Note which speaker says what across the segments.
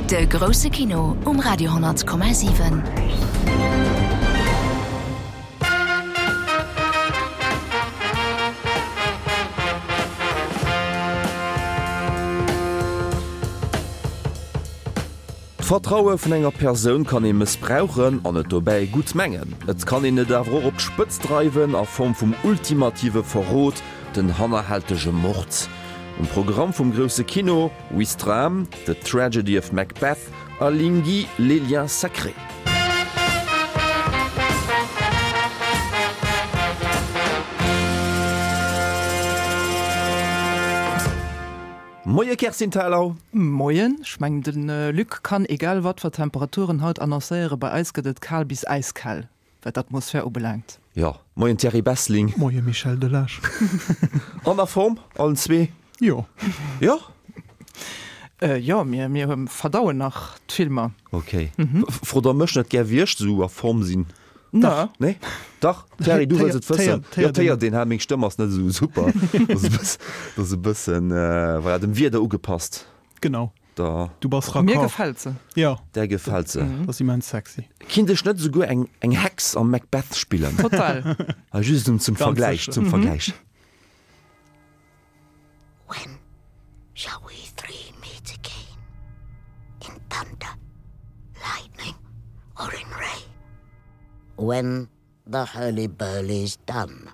Speaker 1: De grousse Kino um Radio 10,7.
Speaker 2: D'Vertraue vun enger Persoun kann ee mëssbrauchen an et dobäi gutt mengen. Et kann een et awer och op d'Spëtzt dreiwen a Form vum ultimative Verrot, den hannerhältege Mord. Um Programm vum grousse Kino, Ouistreham, The Tragedy of Macbeth a Lingui, Les liens sacrés. Moie Kerstin Thalau.
Speaker 3: Moien, ech mengen de Luc kann egal wat fir Temperaturen haut annoncéieren, bei eis gëtt et kal bis äiskal wat d'Atmosphär ubelaangt.
Speaker 2: Jo, moien Thierry Bessling.
Speaker 4: Moie Michel Delage.
Speaker 2: An a Form, allen zwee?
Speaker 4: Jo.
Speaker 2: Jo?
Speaker 3: Jo, mir mir verdauen nach d'Filmer.
Speaker 2: Ok. Frot der mech net gär wéi ech sou a Form sinn?
Speaker 3: Dach.
Speaker 2: Nee? Dach, Thierry, du wëlls et wëssen. Jo, d'héiert een, ha, meng Stëmm ass net esou super. Dat ass e bëssen, voilà, dem Wieder ugepasst.
Speaker 4: Genau.
Speaker 2: Da.
Speaker 4: Du bass raccord.
Speaker 3: Mir gefält se.
Speaker 4: Jo.
Speaker 2: Där gefält se.
Speaker 4: Dat ass immens sexy.
Speaker 2: Kinnt ech net esouguer eng, eng Hex am Macbeth spillen?
Speaker 3: Total.
Speaker 2: Just zum Vergläich, zum Vergläich.
Speaker 5: When shall we three meet again? In thunder, lightning, or in ray? When the hurly-burly's done,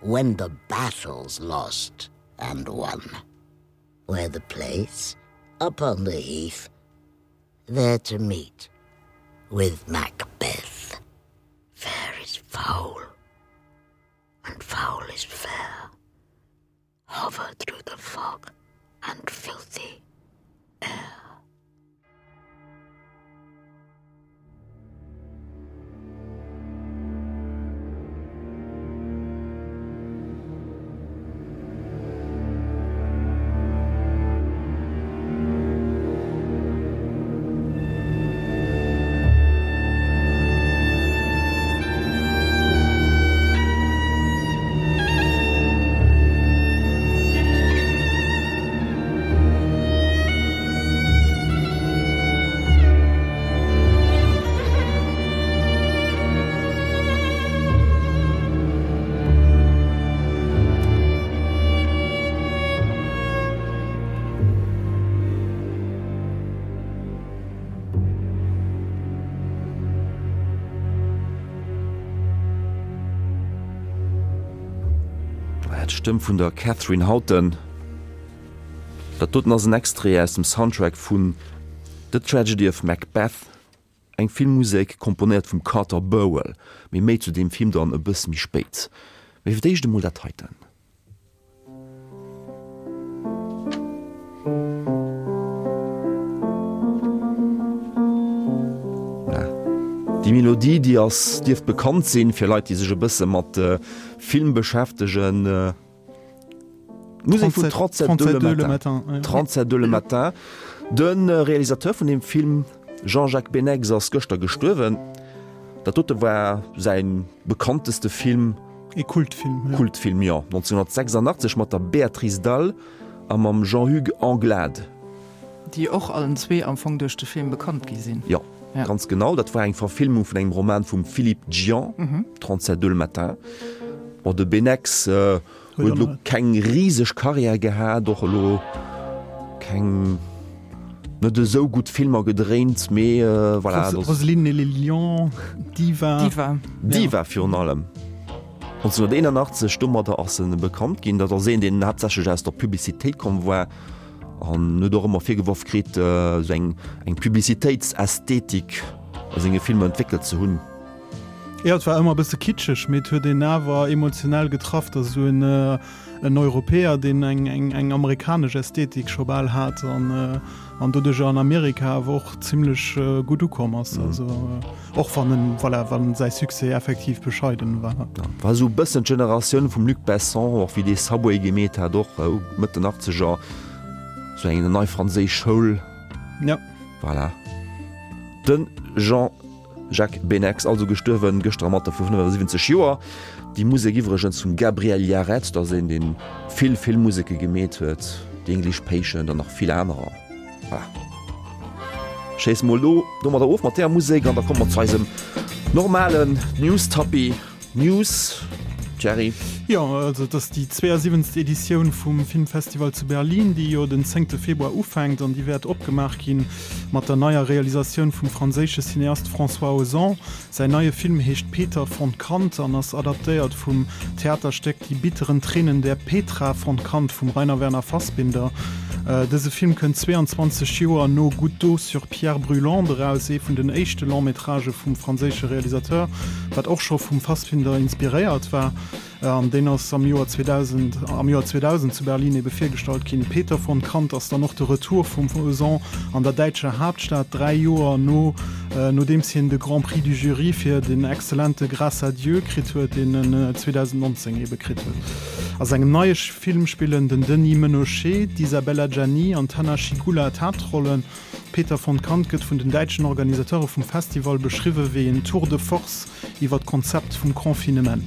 Speaker 5: when the battle's lost and won, where the place, upon the heath, there to meet with Macbeth. Fair is foul, and foul is fair. Hover through the fog and filthy air.
Speaker 2: D'Stëmm vun der Katherine Houghton. Dat doten ass en Extrait aus dem Soundtrack vun The Tragedy of Macbeth, eng Filmmusek komponéiert vum Carter Burwell. Mee méi zu deem Film dann e bësse méi spéit. Mee fir d'éischt emol dat heiten. Déi Melodie, déi ass, dierft bekannt sinn fir Leit, déi sech e bësse mat Film beschäftegen. D'Musek vun 37 le matin. 37 le matin. De Realisateur vun deem Film, Jean-Jacques Beineix, ass gëschter gestuerwen. Dat dote war säi bekannteste Film.
Speaker 4: E Kultfilm,
Speaker 2: jo. Kultfilm, jo. 1986 mat der Béatrice Dalle a mam Jean-Hugues Anglade.
Speaker 3: Déi och allen zwee am Fong duerch de Film bekannt gi sinn.
Speaker 2: Jo, ganz genau. Dat war eng Verfilmung vun engem Roman vum Philippe Djian, 37 le matin. Bon, de Beineix huet elo keng riseg Karriär gehat, och elo keng net esou gutt Filmer gedréint, mee voilà.
Speaker 4: Roseline et les lions, Diva.
Speaker 3: Diva.
Speaker 2: Diva virun allem. 1981, domadder ass en bekannt ginn. Dat ass een, deen haaptsächlech aus der Publicitéit komm war an huet och ëmmer virgeworf kritt, esou eng eng Publicitéitsästhetik a senge Filmer entwéckelt ze hunn.
Speaker 4: Jo, et war ëmmer e bësse kitscheg, mee et huet een awer emotionell getraff, datt esou en en Europäer, deen eng eng eng amerikanesch Ästhetik scho bal hat an an doduercher an Amerika awer och zimlech gutt ukomm ass. Also och wann en, voilà, wann säi Succès effektiv bescheiden war.
Speaker 2: Ja, war esou e bëssen d'Generatioun vum Luc Besson, och wéi dee Subway gemeet hat, och Mëtt den Achtzeger, esou eng nei franséisch Schoul.
Speaker 4: Ja.
Speaker 2: Voilà. De Jean. Jacques Beineix, also gestuerwen gëschter am Alter vu 75 Joer. Déi Musek iwwregens vum Gabriel Yared, dat ass een deen vill Filmmuseke gemeet huet, The English Patient an nach vill anerer. Voilà. Schéisse mol elo domadder of mat där Musek an da komme mer zu eisem normalen News-Tapis. News, Jerry?
Speaker 4: Jo, also et ass déi 72. Editioun vum Filmfestival zu Berlin, déi jo den zéngte Februar ufänkt an déi wäert opgemaach gi mat der neier Realisatioun vum franséische Cineast François Ozon. Säin neie Film heescht Peter von Kant an ass adaptéiert vum Theaterstéck Die bitteren Tränen der Petra von Kant vum Rainer Werner Fassbinder. Dëse Film kënnt 22 Joer no Goutte d'eau sur pierre brûlante eraus, ee vun den éischte Long-métragë vum franséische Realisateur, wat och scho vum Fassbinder inspiréiert war. An deen ass am Joer 2000 am Joer 2000 zu Berlin ebe virgestallt ginn. Peter von Kant ass dann och de Retour vum Ozon an der däitscher Haaptstad, 3 Joer no nodeems hien de Grand Prix du Jury fir den exzellente Grâce à Dieu kritt huet, deen en 2019 ebe kritt huet. A sengem neie Film spillen den Denis Ménochet, d'Isabelle Adjani an d'Hanna Schygulla d'Haaptrollen. Peter von Kant gëtt vun den däitschen Organisateure vum Festival beschriwwe wéi en Tour de force iwwer d'Konzept vum Confinement.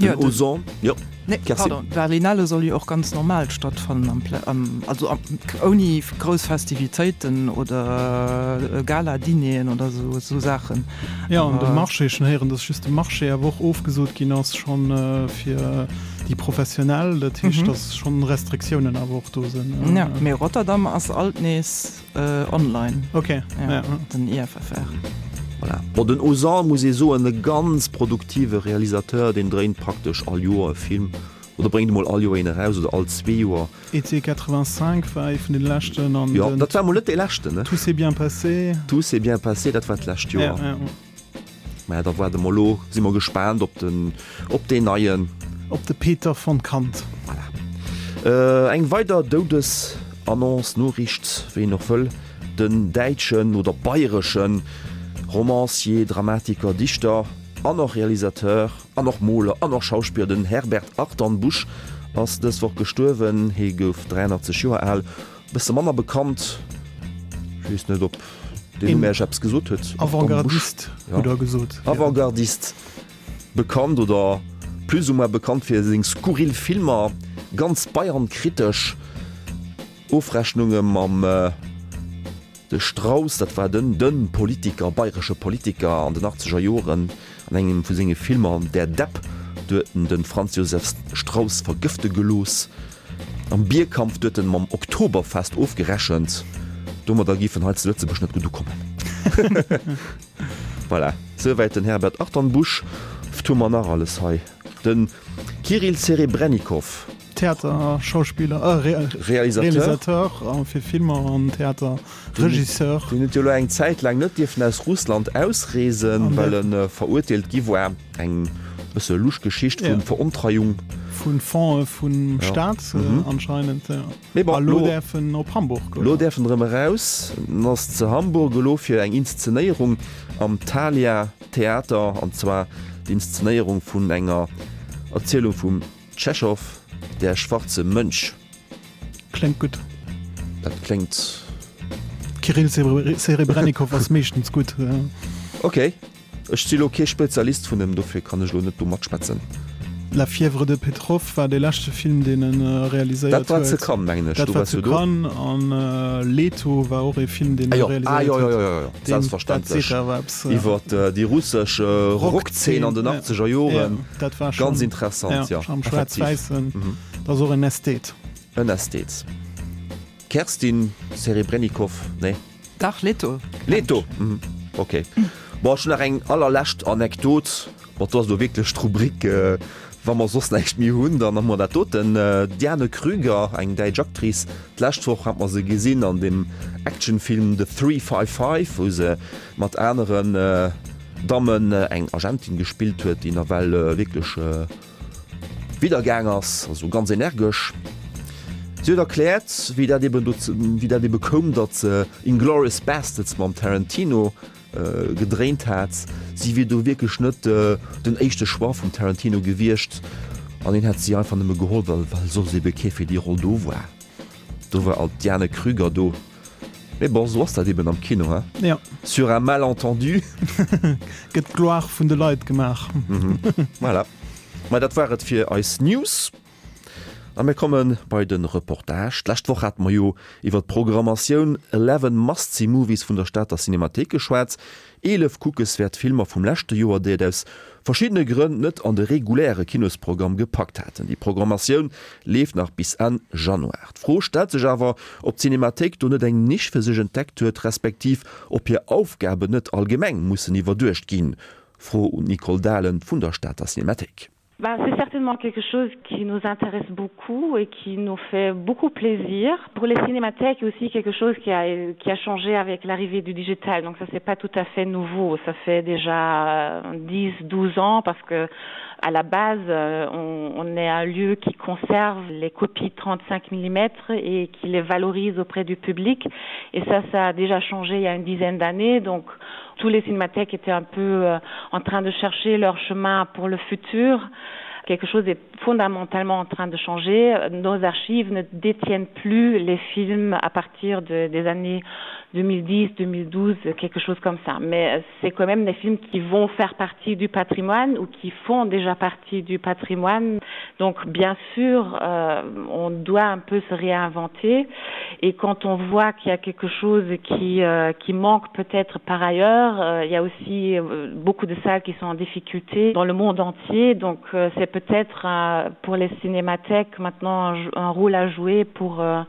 Speaker 2: Den Ozon, jo,
Speaker 3: Nee, pardon, d'Berlinale soll jo och ganz normal stattfannen, am, am, also am, ouni grouss Festivitéiten oder Gala-Dineren oder esou, esou Saachen.
Speaker 4: Jo, an de Marché, ech hunn héieren, datt just de Marché awer och ofgesot ginn ass schonn fir déi Professionell. Dat heescht, datt schonn Restriktiounen awer och do sinn.
Speaker 3: Jo, mee Rotterdam ass alt nees. Online.
Speaker 4: Ok,
Speaker 3: ja. Den IFFR.
Speaker 2: Voilà. Bon, den Ozan, muss ee soen, e ganz produktive Realisateur, deen dréint praktesch all Joer e Film oder bréngt emol all Joer een eraus oder all zwee Joer.
Speaker 4: Été 85 war ee vun den leschten
Speaker 2: an Jo, dat war emol net dee leschten, ne?
Speaker 4: Tout s'est bien passé.
Speaker 2: Tout s'est bien passé, dat war d'lescht Joer.
Speaker 4: Ja, ja.
Speaker 2: Maja, da waarde mer elo, si mer gespaant op den, op deen neien.
Speaker 4: Op de Peter von Kant.
Speaker 2: Voilà. Eng weider Doudesannonce, Noriicht, wéi een och wëll, Den däitschen oder bayreschen Romancier, Dramatiker, Dichter an och Realisateur an och Moler an och Schauspiller, den Herbert Achternbusch ass dës Woch gestuerwen. Hie gouf 83 Joer al. Bësse manner bekannt, ech weess net op deen Numm Äech eppes gesot huet.
Speaker 4: Avantgardist hutt Der gesot.
Speaker 2: Avantgardist, bekannt oder plus ou moins bekannt fir seng skurril Filmer, ganz bayernkritesch Ofrechnunge mam de Strauss, dat war den den Politiker, bayresche Politiker an den achtzeger Joren, an engem vu senge Filmer Der Depp, do huet en de Franz Josef Strauss vergëfte gelooss. Am Bierkampf huet en mam Oktoberfest ofgerechent. Domadder giff en hei zu Lëtzebuerg net gutt ukommen. Voilà, souwäit den Herbert Achternbusch. Wt hu mer nach alles hei? Den Kirill Serebrennikov.
Speaker 4: Theater, Schauspiller, äh,
Speaker 2: Realisateur.
Speaker 4: Realisateur fir Filmer an Theater, Regisseur.
Speaker 2: Deen huet jo elo eng Zäit laang net dierfen aus Russland ausreesen, well en verurteelt gi war. Eng bësse lusch Geschicht vun Verontreiung.
Speaker 4: Vun Fonds'e vum Staat anscheinend, jo.
Speaker 2: Mee bon,
Speaker 4: A lo däerf en op Hamburg,
Speaker 2: oder? Lo däerf en erëm eraus. En ass zu Hamburg elo fir eng Inszenéierung am Thalia Theater, an zwar d'Inszenéierung vun enger Erzielung vum Tschechow, Der schwarze Mönch.
Speaker 4: Kléngt gutt.
Speaker 2: Dat kléngt.
Speaker 4: Kirill Serebrennikov ass meeschtens gutt.
Speaker 2: Ok. Ech si lo kee Spezialist vun em, dofir kann ech lo net do matschwätzen.
Speaker 4: La fièvre de Petrov war dee leschte Film, deen e realiséiert
Speaker 2: huet. Dat war zu Cannes, mengen ech.
Speaker 4: Dat war zu Cannes. An Leto war och ee Film, deen e realiséiert huet.
Speaker 2: Ah jo, jo, jo, jo, selbstverständlech. Iwwer déi russesch Rockzeen an den achtzeger Joren. Ganz interessant,
Speaker 4: jo. Am Schwaarz-Wäissen. Dat ass och en Ästhet.
Speaker 2: En Ästhet. Kerstin Serebrennikov, nee?
Speaker 3: Dach, Leto.
Speaker 2: Leto, mhm, ok. Bon, ech hunn nach eng allerlescht Anekdot. Bon, do ass elo wierklech d'Rubrik, wa mer soss näischt méi hunn, dann hu mer dat doten. D'Diane Krüger, eng däitsch Actrice, d'lescht Woch hat mer se gesinn an dem Actionfilm The 355, wou se mat aneren Dammen eng Agentin gespillt huet, déi nawell wierklech, Widder gaang ass, also ganz energesch. Si huet erkläert, wéi dat eben dozou, wéi dat ebe koum, datt se Inglourious Basterds mam Tarantino gedréint hat. Si wier do wierklech net den éischte Choix vum Tarantino gewiescht an hien hätt si einfach nëmme geholl, well well soss ebe kee fir déi Roll do war. Do war alt d'Diane Krüger do. Mee bon, sou ass dat eben am Kino, hein?
Speaker 4: Ja.
Speaker 2: Sur un malentendu.
Speaker 4: Gëtt d'Gloire vun de Leit gemaach.
Speaker 2: Voilà. Ma dat war et fir eis News. A mir komme bei de Reportage. D'lescht Woch hate mer jo iwwer d'Programmatioun Eleven Must See Movies vun der Stater Cinemathéik geschwat. 11 kuckeswäert Filmer vum leschte Joer, déi et aus verschiddene Grënn net an de reguläre Kinosprogramm gepackt haten. Déi Programmatioun leeft nach bis Enn Januar. D'Fro stellt sech awer, ob d'Cinemathéik do net eng Nisch fir sech entdeckt huet, respektiv ob hir Aufgaben net allgemeng mussen iwwerduecht ginn. Fro un d'Nicole Dahlen vun der Stater Cinemathéik.
Speaker 6: Ben, c'est certainement quelque chose qui nous intéresse beaucoup et qui nous fait beaucoup plaisir. Pour les cinémathèques aussi quelque chose qui a, qui a changé avec l'arrivée du digital. Donc ça c'est pas tout à fait nouveau, ça fait déjà 10 12 ans parce que à la base euh, on, on est un lieu qui conserve les copies 35 mm et qui les valorise auprès du public et ça ça a déjà changé il y a une dizaine d'années donc tous les cinémathèques étaient un peu euh, en train de chercher leur chemin pour le futur quelque chose est fondamentalement en train de changer nos archives ne détiennent plus les films à partir de, des années 2010 2012 quelque chose comme ça mais euh, c'est quand même des films qui vont faire partie du patrimoine ou qui font déjà partie du patrimoine donc bien sûr euh, on doit un peu se réinventer et quand on voit qu'il y a quelque chose qui euh, qui manque peut-être par ailleurs euh, il y a aussi euh, beaucoup de salles qui sont en difficulté dans le monde entier donc euh, c'est peut-être euh, pour les cinémathèques maintenant un, un rôle à jouer pour euh,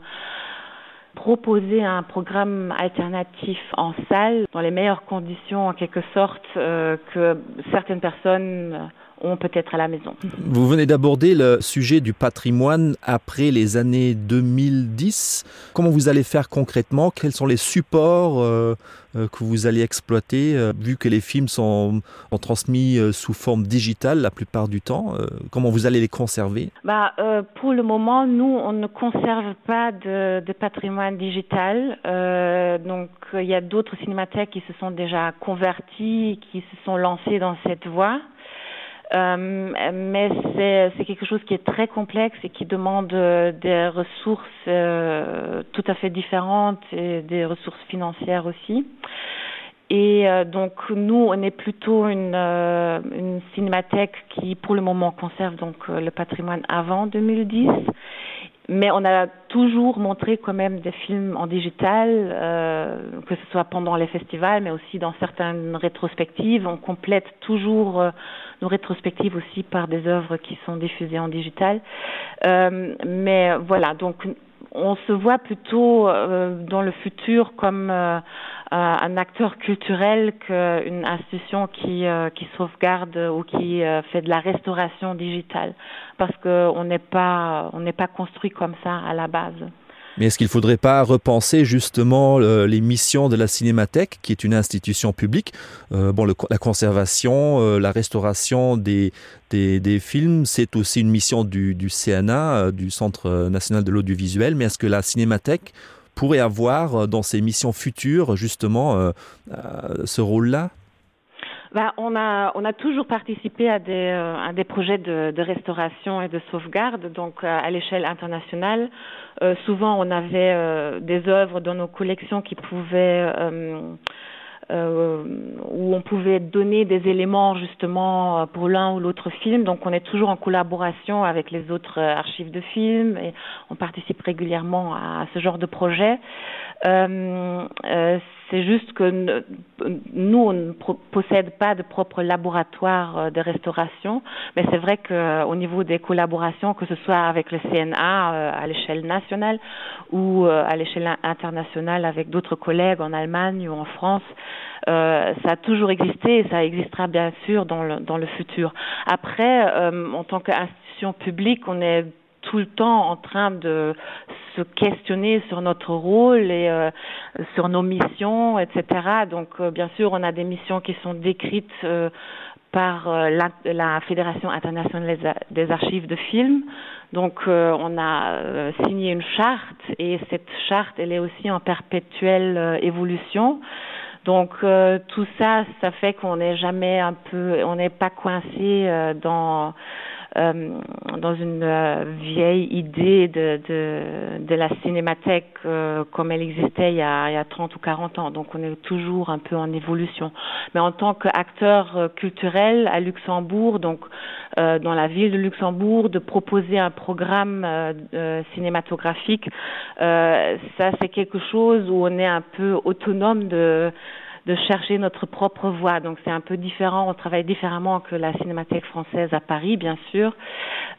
Speaker 6: proposer un programme alternatif en salle dans les meilleures conditions en quelque sorte euh, que certaines personnes euh, ont peut-être à la maison.
Speaker 2: Vous venez d'aborder le sujet du patrimoine après les années 2010. Comment vous allez faire concrètement? Quels sont les supports euh, euh, que vous allez exploiter euh, vu que les films sont, sont transmis euh, sous forme digitale la plupart du temps euh, Comment vous allez les conserver
Speaker 6: bah, euh, Pour le moment, nous, on ne conserve pas de, de patrimoine digital. Euh, donc il y a d'autres cinémathèques qui se sont déjà convertis, qui se sont lancés dans cette voie. Euh, mais c'est quelque chose qui est très complexe et qui demande euh, des ressources euh, tout à fait différentes et des ressources financières aussi. Et euh, donc nous on est plutôt une, euh, une cinémathèque qui pour le moment conserve donc euh, le patrimoine avant 2010 mais on a toujours montré quand même des films en digital euh, que ce soit pendant les festivals mais aussi dans certaines rétrospectives on complète toujours euh, nos rétrospectives aussi par des œuvres qui sont diffusées en digital euh, mais voilà donc on se voit plutôt euh, dans le futur comme euh, euh un acteur culturel qu'une institution qui, euh, qui sauvegarde ou qui euh, fait de la restauration digitale parce qu'on n'est pas on n'est pas construit comme ça à la base.
Speaker 2: Mais est-ce qu'il ne faudrait pas repenser justement le, les missions de la Cinémathèque, qui est une institution publique euh, bon, le, la conservation, euh, la restauration des, des, des films, c'est aussi une mission du, du CNA, euh, du Centre national de l'audiovisuel, mais est-ce que la Cinémathèque pourrait avoir euh, dans ses missions futures justement euh, euh, ce rôle-là
Speaker 6: Bah, on, a, on a toujours participé à des, euh, à des projets de, de restauration et de sauvegarde donc euh, à l'échelle internationale. Euh, souvent on avait euh, des œuvres dans nos collections qui pouvaient euh, euh, où on pouvait donner des éléments justement euh, pour l'un ou l'autre film. Donc on est toujours en collaboration avec les autres euh, archives de films et on participe régulièrement à ce genre de projet. Euh, euh, c'est juste que nous on ne possède pas de propre laboratoire euh, de restauration mais c'est vrai qu'au niveau des collaborations que ce soit avec le CNA euh, à l'échelle nationale ou euh, à l'échelle internationale avec d'autres collègues en Allemagne ou en France euh, ça a toujours existé et ça existera bien sûr dans le, dans le futur après euh, en tant qu'institution publique on est tout le temps en train de se questionner sur notre rôle et euh, sur nos missions etc donc euh, bien sûr on a des missions qui sont décrites euh, par euh, la, la fédération internationale des archives de films donc euh, on a euh, signé une charte et cette charte elle est aussi en perpétuelle euh, évolution donc euh, tout ça ça fait qu'on n'est jamais un peu on n'est pas coincé euh, dans euh, euh, dans une euh, vieille idée de, de, de la cinémathèque euh, comme elle existait il y, a, il y a 30 ou 40 ans. Donc on est toujours un peu en évolution. Mais en tant qu'acteur euh, culturel à Luxembourg, donc euh, dans la ville de Luxembourg, de proposer un programme euh, euh, cinématographique, euh, ça c'est quelque chose où on est un peu autonome de de chercher notre propre voie. Donc c'est un peu différent, on travaille différemment que la cinémathèque française à Paris, bien sûr.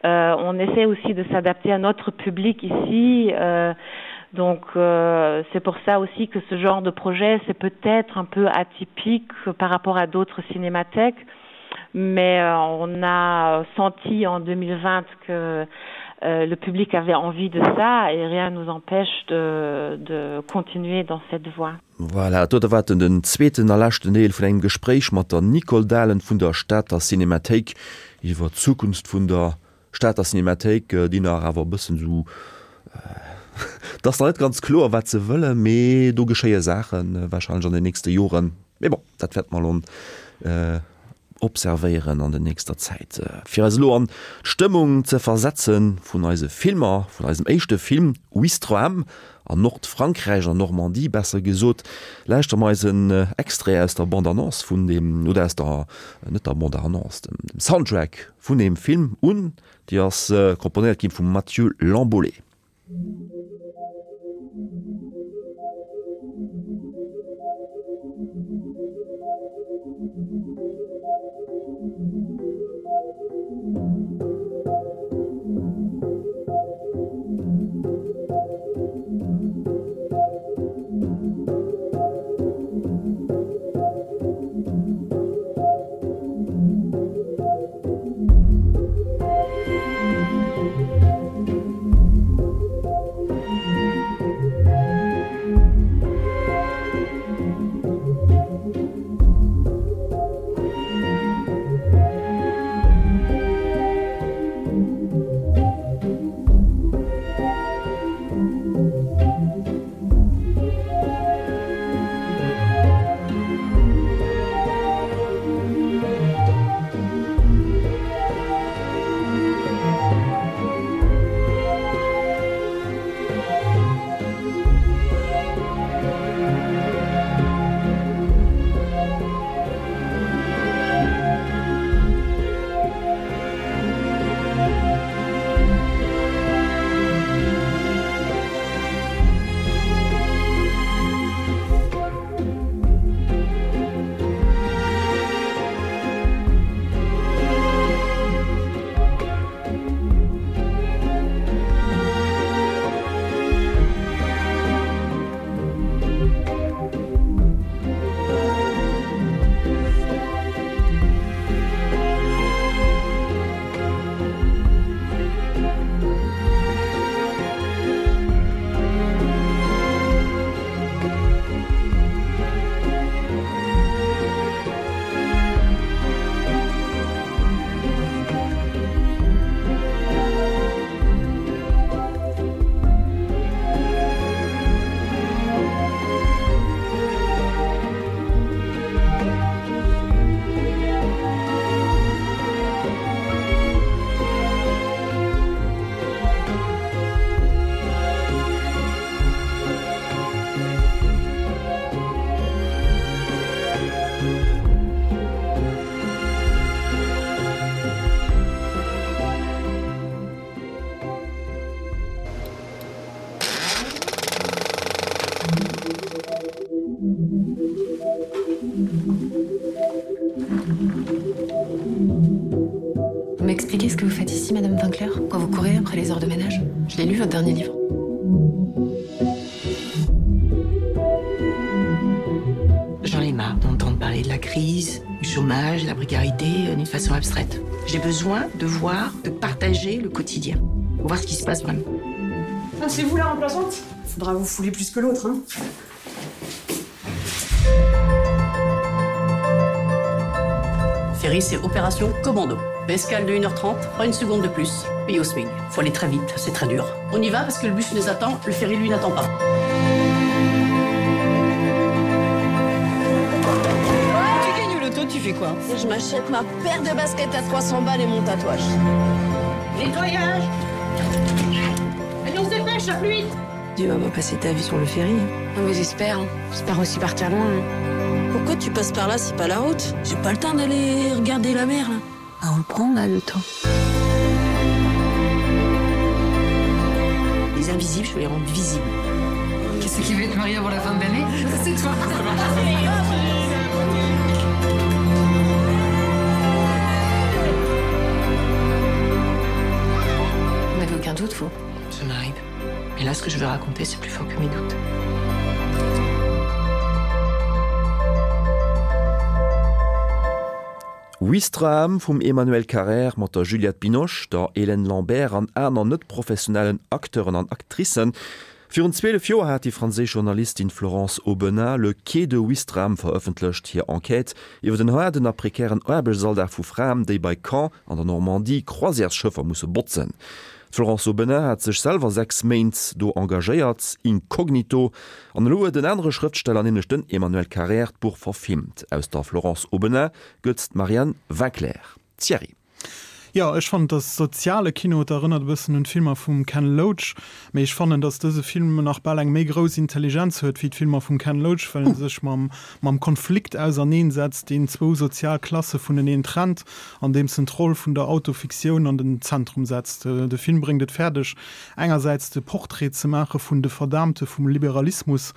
Speaker 6: Euh, on essaie aussi de s'adapter à notre public ici. Euh, donc euh, c'est pour ça aussi que ce genre de projet c'est peut-être un peu atypique par rapport à d'autres cinémathèques mais euh, on a senti en 2020 que euh, le public avait envie de ça et rien nous empêche de, de continuer dans cette voie.
Speaker 2: Voilà, dote war den den zweeten a leschten Deel vun engem Gespréich mat der Nicole Dahlen vun der Stater Cinemathéik iwwer d'Zukunft vun der Stater Cinemathéik, déi nach awer e bëssen esou, et ass nach net ganz kloer wat se wëllen, mee do geschéie Saachen warscheinlech an den nächste Joren. Mee bon, dat wäerte mer elo observéieren an der nächster Zäit. Fir eis elo an d'Stëmmung ze versetzen vun eise Filmer, vun eisem éischte Film Ouistreham an Nordfrankräich, an Normandie besser gesot, lauschtere mer eisen Extrait aus der Bande-Annonce vun deem, oder aus der, net der Bande-Annonce, dem Soundtrack vun deem Film un. Déi ass komponéiert gi vum Mathieu Lamboley.
Speaker 7: Vous m'expliquez ce que vous faites ici, Madame Winkler, quand vous courez après les heures de ménage Je l'ai lu votre dernier livre.
Speaker 8: J'en ai marre d'entendre parler de la crise, du chômage, de la précarité euh, d'une façon abstraite. J'ai besoin de voir, de partager le quotidien, pour voir ce qui se passe vraiment.
Speaker 9: Ah, c'est vous la remplaçante Faudra vous fouler plus que l'autre hein.
Speaker 10: Ferry, c'est opération commando. Escale de 1h30, pas une seconde de plus. Paye au swing. Faut aller très vite, c'est très dur. On y va parce que le bus nous attend, le ferry lui n'attend pas.
Speaker 9: Tu gagnes au loto.
Speaker 10: Toi, tu fais quoi
Speaker 11: Je m'achète ma paire de baskets à 300 balles et mon tatouage.
Speaker 10: Nettoyage Allez, on se dépêche, la pluie
Speaker 7: Tu vas pas passer ta vie sur le ferry.
Speaker 11: Non mais j'espère, j'espère aussi partir loin. Hein. Pourquoi tu passes par là, c'est pas la route J'ai pas le temps d'aller regarder la mer là.
Speaker 7: Ah, on le prend là le temps.
Speaker 8: Les invisibles, je vais les rendre visibles.
Speaker 7: Qu'est-ce qui veut être marié avant la fin de l'année C'est toi.
Speaker 8: Vous n'avez aucun doute, vous Ça m'arrive. Mais là, ce que je veux raconter, c'est plus fort que mes doutes.
Speaker 2: Ouistreham vum Emmanuel Carrère mat der Juliette Binoche, der Hélène Lambert an aner net-professionellen Acteuren an Actricen. Virun 12 Joer hat déi franséisch Journalistin Florence Aubenas Le Quai de Ouistreham verëffentlecht, hir Enquête iwwer den haarden a prekären Aarbechtsalldag vu Fraen, déi bei Caen an der Normandie Croisièresschëffer musse botzen. D'Florence Aubenas hat sech selwer 6 Méint do engagéiert, incognito, an elo huet en anere Schrëftsteller, nämlech den Emmanuel Carrère, d'Buch verfilmt. Aus der Florence Aubenas gëtt d'Marianne Winclair. Thierry.
Speaker 4: Jo, ech fannen, dass soziale Kino, et erënnert e bëssen un d'Filmer vum Ken Loach, mee ech fannen, dass dëse Film nach bal eng méi grouss Intelligenz huet wéi d'Filmer vum Ken Loach, well en sech mam mam Konflikt auserneen setzt, deen zwou sozial Klasse vuneneen trennt, andeems en d'Roll vun der Autofiktioun an den Zentrum setzt. De Film bréngt et fäerdeg, engersäits de Portrait ze maache vun de Verdaamte vum Liberalismus,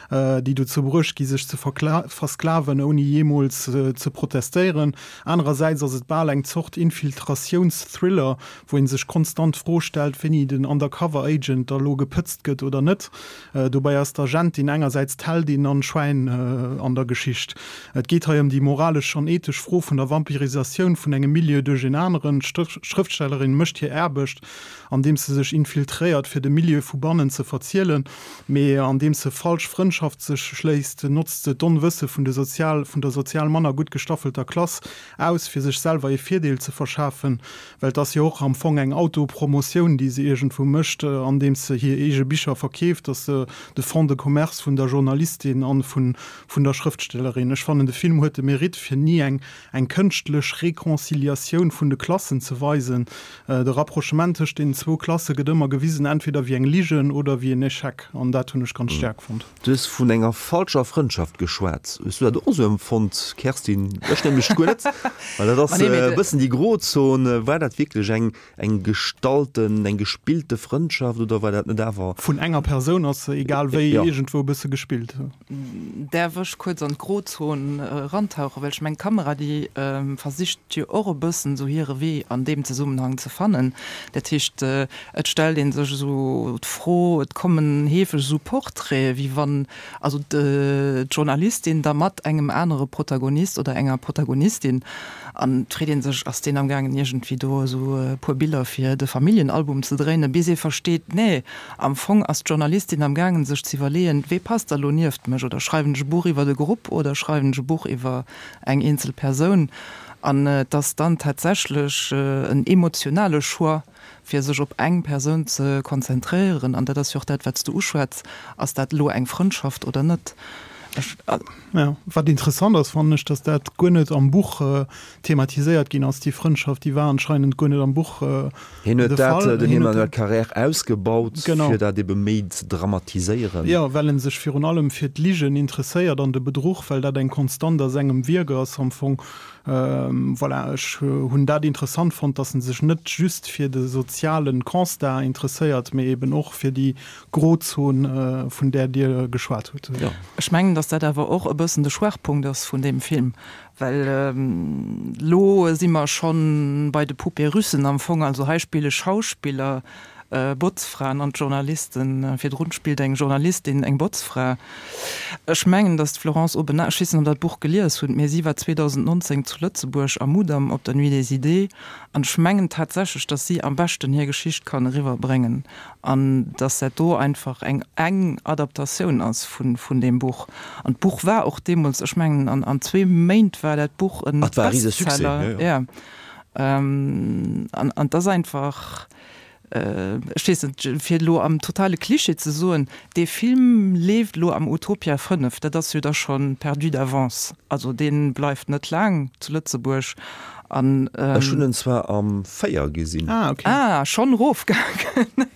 Speaker 4: déi dozou bruecht gi sech ze versklaven, ouni jeemools ze protestéieren. Anerersäits ass et bal eng Zort Infiltratiouns-Thriller, wou ee sech konstant d'Fro stellt, wéini den Undercover Agent da lo gepëtzt gëtt oder net. Dobäi ass d'Agentin engersäits d'Heldin an d'Schwäin an der Geschicht. Et geet hei ëm déi moralesch an ethesch Fro vun der Vampirisatioun vun engem Milieu duerch een aneren. D'Schrëftstellerin mécht hir Aarbecht, andeems se sech infiltréiert, fir de Milieu vu bannen ze verzielen. Mee andeems se falsch Frëndschaft sech schléisst, notzt se d'Onwësse vun de sozial vun der sozial manner gutt gestaffelter Klass aus, fir sech selwer ee Virdeel ze verschafen. Well et ass jo och am Fong eng Autopromotioun, déi se iergendwou mécht, andeems se hir eege Bicher verkeeft, ass se de Fonds de commerce vun der Journalistin an vun vun der Schrëftstellerin. Ech fannen, de Film huet de Mérite, fir ni eng eng kënschtlech Reconciliatioun vun de Klassen ze weisen. De Rapprochement tëscht deenen zwou Klasse gëtt ëmmer gewisen, entweder wéi eng Ligen oder wéi en Echec, an dat hunn ech ganz staark fonnt.
Speaker 2: Du hues vun enger falscher Frëndschaft geschwat. Hues du dat och esou empfonnt, Kerstin? Ech nämlech guer net, well dat ass e bëssen déi Grozon. War dat wierklech eng Eng gestalten, eng gespillte Frëndschaft oder war dat net awer?
Speaker 4: Vun enger Persoun ass se egal wéi iergendwou e bësse gespillt.
Speaker 3: Däerf ech kuerz an d'Grozon erantauchen, well ech mengen d'Kamera déi versicht jo och e bëssen esou hire Wee an deem Zesummenhang ze fannen. Dat heescht et stellt ee sech esou d'Fro, et kommen heefeg esou Portraite wéi wann also d'Journalistin da mat engem anere Protagonist oder enger Protagonistin An et freet ee sech, ass deen amgaangen iergendwéi do esou e puer Biller fir de Familljenalbum ze dréinen, bis ee versteet, nee, am Fong ass d'Journalistin amgaangen sech ze iwwerleeën, wee passt da lo nieft mech, oder schreiwen ech e Buch iwwer e Grupp oder schreiwen ech e Buch iwwer eng eenzel Persoun? An et ass dann tatsächlech en emotionale Choix, fir sech op eng Persoun ze konzentréieren, an dat ass jo och dat, wat s du uschwätz, ass dat elo eng Frëndschaft oder net?
Speaker 4: Ech. Jo, wat interessant ass, fannen ech, datt dat guer net am Buch thematiséiert ginn ass, déi Frëndschaft, déi war anscheinend guer net am Buch de
Speaker 2: Fall. Hien huet dat, den Emmanuel Carrère, ausgebaut, fir dat ebe méi ze dramatiséieren.
Speaker 4: Jo, well en sech virun allem fir d'Ligen interesséiert an de Bedruch, well dat eng Konstant a sengem Wierk ass am Fong. Voilà, ech hunn dat interessant fonnt, dass en sech net just fir de sozialen Constat interesséiert, mee eben och fir déi Grozon, vun där Dir geschwat hutt.
Speaker 3: Ech mengen, dass dat awer och e bëssen de Schwaachpunkt ass vun deem Film, well elo si mer schonn bei de Poupées russes am Fong. Also hei spille Schauspiller Botzfraen an d'Journalisten, virdrun spillt eng Journalistin eng Botzfra. Ech mengen, datt d'Florence Aubenas, ech weess net, ob Der d'Buch gelies hutt, mee si war 2019 zu Lëtzebuerg am Mudam op der Nuit des Idées an ech mengen tatsächlech, datt si am beschten hir Geschicht kann eriwwerbréngen an datt dat do einfach eng eng Adaptatioun ass vun vun deem Buch. An d'Buch war och deemools, ech mengen an zwee Méint war dat Buch e
Speaker 2: Bestseller.
Speaker 3: An et ass einfach. Ech weess net, fir elo am totale Cliché ze soen, dee Film leeft elo am Utopia 5, dat ass jo da scho perdu d'avance. Also dee bleift net laang zu Lëtzebuerg an.
Speaker 2: Ech hunn en zwar am 4 gesinn.
Speaker 4: Ah, okay.
Speaker 3: Ah, schonn erofgaangen.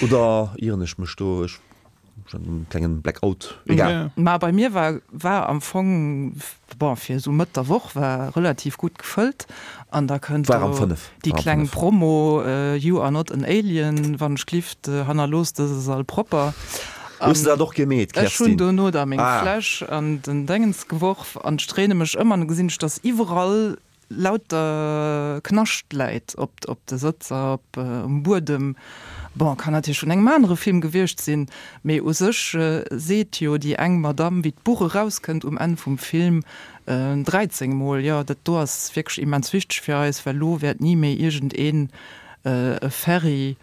Speaker 2: Oder ieren ech mech do? Ech Schon en klengen Blackout, egal.
Speaker 3: Ma bei mir war war am Fong, bon fir esou Mëtt der Woch war relativ gutt gefëllt an da kënnt
Speaker 2: War am
Speaker 3: do
Speaker 2: 5,
Speaker 3: déi
Speaker 2: war am
Speaker 3: kleng
Speaker 2: 5.
Speaker 3: Promo You are not an alien, wann ech glift, hannerloosst dëse Sall propper.
Speaker 2: Hues
Speaker 3: An
Speaker 2: de dat och gemeet,
Speaker 3: ech hunn
Speaker 2: Kerstin?
Speaker 3: dono da meng
Speaker 2: Ah.
Speaker 3: Fläsch an den Déngens geworf an ech dréine mech ëm an da gesinn ech, dass iwwerall lauter Knascht läit op op de Sëtzer, op um Buedem. Bon, kann natierlech vun engem anere Film gewiescht sinn, mee u sech seet jo déi eng Madamm, wéi d'Buch erauskënnt um Enn vum Film, 13 mol, jo, dat do ass wierklech immens wichteg fir eis, well lo wäert ni méi iergendeen e Ferry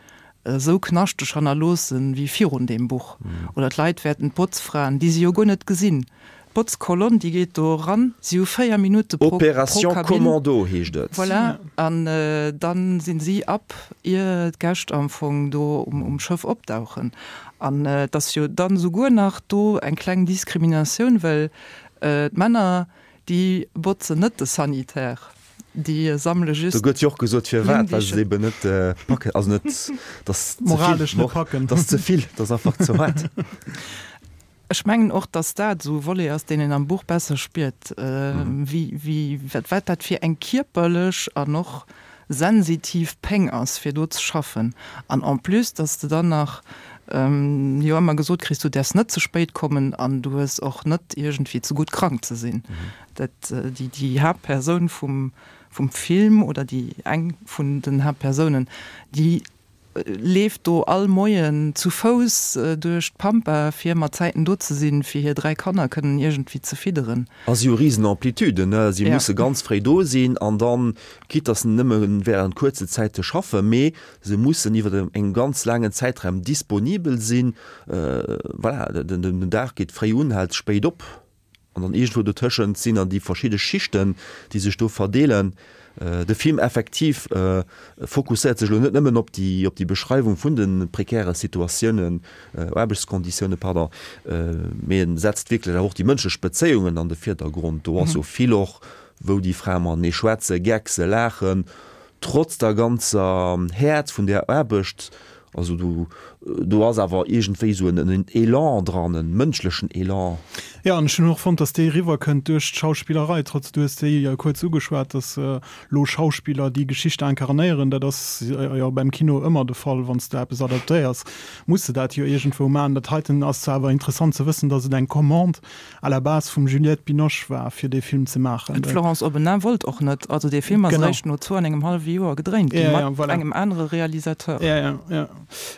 Speaker 3: esou knaschteg hannerloossen wéi virun deem Buch. Oder d'Leit wäerten d'Botzfraen, déi se jo guer net gesinn, d'Botzkolonn, déi geet do eran, si hu 4 Minutte pro, pro
Speaker 2: Opération
Speaker 3: Kabinn.
Speaker 2: Commando heescht et.
Speaker 3: Voilà, an dann sinn si ab, ier d'Gäscht am Fong do um, um Schëff opdauchen. An et ass jo dann esouguer nach do eng kleng Diskriminatioun, well d'Männer, déi botzen net de Sanitaire. Déi sammele just
Speaker 2: Do gëtt jo och gesot firwat, well se
Speaker 3: Blummdichen.
Speaker 2: eben net packen, also net, dass ze vill,
Speaker 4: Moralesch net packen.
Speaker 2: dass ze vill, dass einfach ze haart.
Speaker 3: Ech mengen och, dass dat esou e Volet ass, deen een am Buch besser spiert, wéi, wéi, wat, wat dat fir eng kierperlech an och sensitiv Péng ass, fir do ze schaffen. An en plus, dass de dann nach jo ëmmer gesot kriss, du däerfs net ze spéit kommen an du hues och net iergendwéi ze gutt krank ze sinn. Dat, déi, déi Haaptpersoun vum, vum Film oder déi eng vun den Haaptpersounen, déi leeft do all Moien zu Fouss duerch d'Pampa, fir mat Zäiten do ze sinn, fir hir 3 Kanner kënnen iergendwéi ze fidderen.
Speaker 2: A si hu risen Amplituden, ne? Si
Speaker 3: Ja.
Speaker 2: musse ganz fréi do sinn an dann, quitte dass se nëmme während kuerze Zäite schaffen, mee se mussen iwwer engem ganz laangen Zäitraum disponibel sinn. Voilà, den, den Dag geet fréi un, hält spéit op. An dann iergendwou dotëschent sinn dann déi verschidde Schichten, déi sech do verdeelen. De Film effektiv fokusséiert sech elo net nëmmen op déi, op déi Beschreiwung vun de prekäre Situatiounen, Aarbechtskonditiounen, pardon, mee en setzt wierklech awer och déi mënschlech Bezéiungen an de Virdergrond. Do ass jo vill och, wou déi Frae matenee schwätzen, geckse, laachen, trotz der ganzer Häert vun där Aarbecht. Also do, do ass awer iergendwéi esou en, en Elan dran, en mënschlechen Elan.
Speaker 4: Jo, an ech hunn och fonnt, dass dee eriwwerkënnt duerch d'Schauspillerei, trotz, du hues déi jo kuerz ugeschwat, dass elo Schauspiller déi Geschicht incarnéieren. Dat ass jo beim Kino ëmmer de Fall, wann s de eppes adaptéiers, muss de dat jo iergendwou maachen. Dat heiten ass zwar awer interessant ze wëssen, dass et eng Commande à la base vum Juliette Binoche war, fir dee Film ze maachen.
Speaker 3: D'Florence Aubenas wollt och net. Also dee Film ass eréischt no zwou an engem hallwe Joer gedréint ginn, mat
Speaker 4: voilà.
Speaker 3: engem anere Realisateur.
Speaker 4: Ja, ja, ja.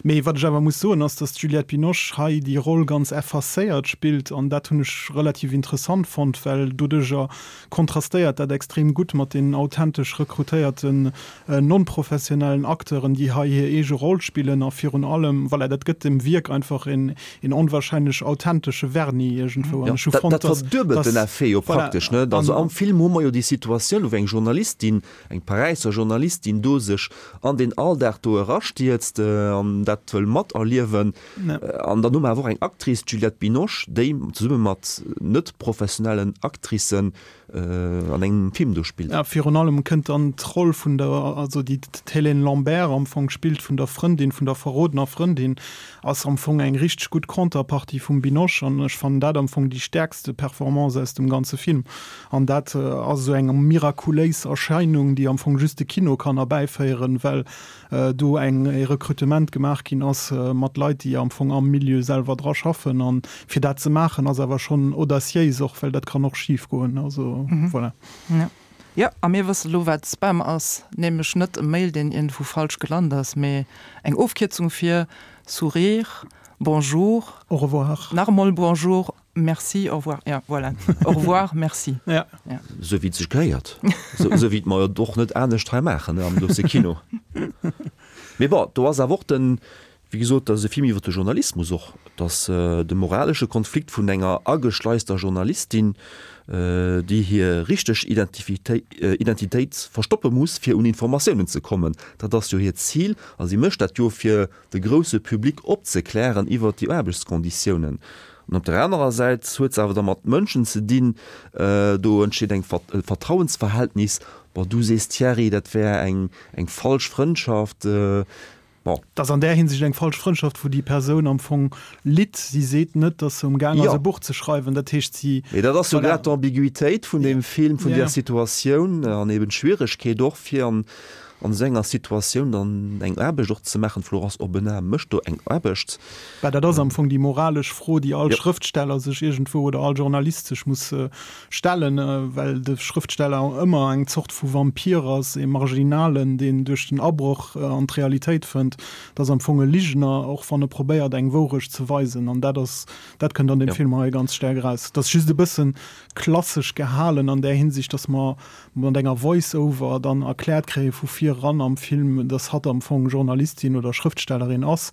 Speaker 4: Mee wat ech awer muss soen, ass, datt d'Juliette Binoche hei déi Roll ganz effacéiert spillt an dat hunn ech relativ interessant fonnt, well doduercher kontrastéiert dat extrem gutt mat den authentesch rekrutéierten non-professionellen Acteuren, déi hei hir eege Roll spillen a virun allem, voilà, dat gëtt dem Wierk einfach een onwahrscheinlech authentesche Vernis iergendwou. An ech hu fonnt,
Speaker 2: Dat verduebelt den Effet jo praktesch, net? Also am Film hu mer jo déi Situatioun, wou eng Journalistin, eng Paräisser Journalistin do sech an deen Alldag do erastierzt an dat wëll materliewen. An dann hu mer awer och eng Actrice, d'Juliette Binoche, déi zesumme mat net professionellen Actricen an engem Film do spillt.
Speaker 4: Ja, virun allem kënnt dann d'Roll vun der, also déi d'Hélène Lambert am Fong spillt, vun der Frëndin, vun der verrodener Frëndin, ass am Fong eng richteg gutt Contrepartie vum Binoche an ech fannen dat am Fong déi stäerkste Performance aus dem ganze Film. An dat ass esou eng mirakuléis Erscheinung, déi am Fong just de Kino kann erbäiféieren, well do eng e Rekrutement gemaach ginn ass mat Leit, déi am Fong am Milieu selwer dra schaffen. An fir dat ze maachen, ass awer schonn audaciéis och, well dat kann och schif goen. Also voilà.
Speaker 3: Jo, a mir wësse lo, wat Spam ass, nämlech net e Mail, deen iergendwou falsch gelant ass, mee eng Ofkierzung fir Sourire, Bonjour,
Speaker 4: Au revoir.
Speaker 3: nach emol Bonjour, Merci, au revoir. Ja, voilà. Au revoir, merci.
Speaker 4: Ja.
Speaker 3: Ja.
Speaker 2: Sou wéi et sech gehéiert. Sou wéi et mer et och net anescht hei maachen, ne, am Dossier Kino. Mee bon, do ass awer och den. Wéi gesot, dat ass e Film iwwer de Journalismus och. Et ass de moralesche Konflikt vun enger ageschleister Journalistin, déi hir richteg Identitéit verstoppe muss, fir un Informatiounen ze kommen. Dat ass jo hiert Zil a si mécht dat jo, fir de grousse Public opzeklären iwwer déi Aarbechtskonditiounen. An op der anerer Säit huet se awer da mat Mënschen ze dinn, do entsteet eng e Vertrauensverhältnis. Bon, du sees Thierry, dat wär eng falsch Frëndschaft.
Speaker 4: Bon. Et ass an där Hinsicht eng falsch Frëndschaft, wou déi Persoun am Fong litt. Si seet net, datt se um Gaang ass, e Buch ze schreiwen. Dat heescht, si.
Speaker 2: Mee dat ass jo grad d'Ambiguitéit vun deem Film, vun där Situatioun an eben d'Schwieregkeet och, fir an esou enger Situatioun dann eng Aarbecht och ze maachen. D'Florence Aubenas mécht do eng Aarbecht.
Speaker 4: Bah, dat ass am Fong déi moralesch Fro, déi all Schrëftsteller sech iergendwou oder all Journalist sech muss stellen, well de Schrëftsteller ëmmer eng Zort vu Vampir ass, ee Marginalen, deen duerch den Abroch an d'Realitéit fënnt. Dat ass am Fong e Ligener, och wann e probéiert, eng Wourecht ze weisen. An dat ass, dat kënnt an deem Film hei ganz staark eraus. Et ass just e bësse klassesch gehalen an där Hinsicht, datt mer mat enger Voice-over dann erkläert kréie vu vir eran am Film, datt hatt am Fong Journalistin oder Schrëftstellerin ass.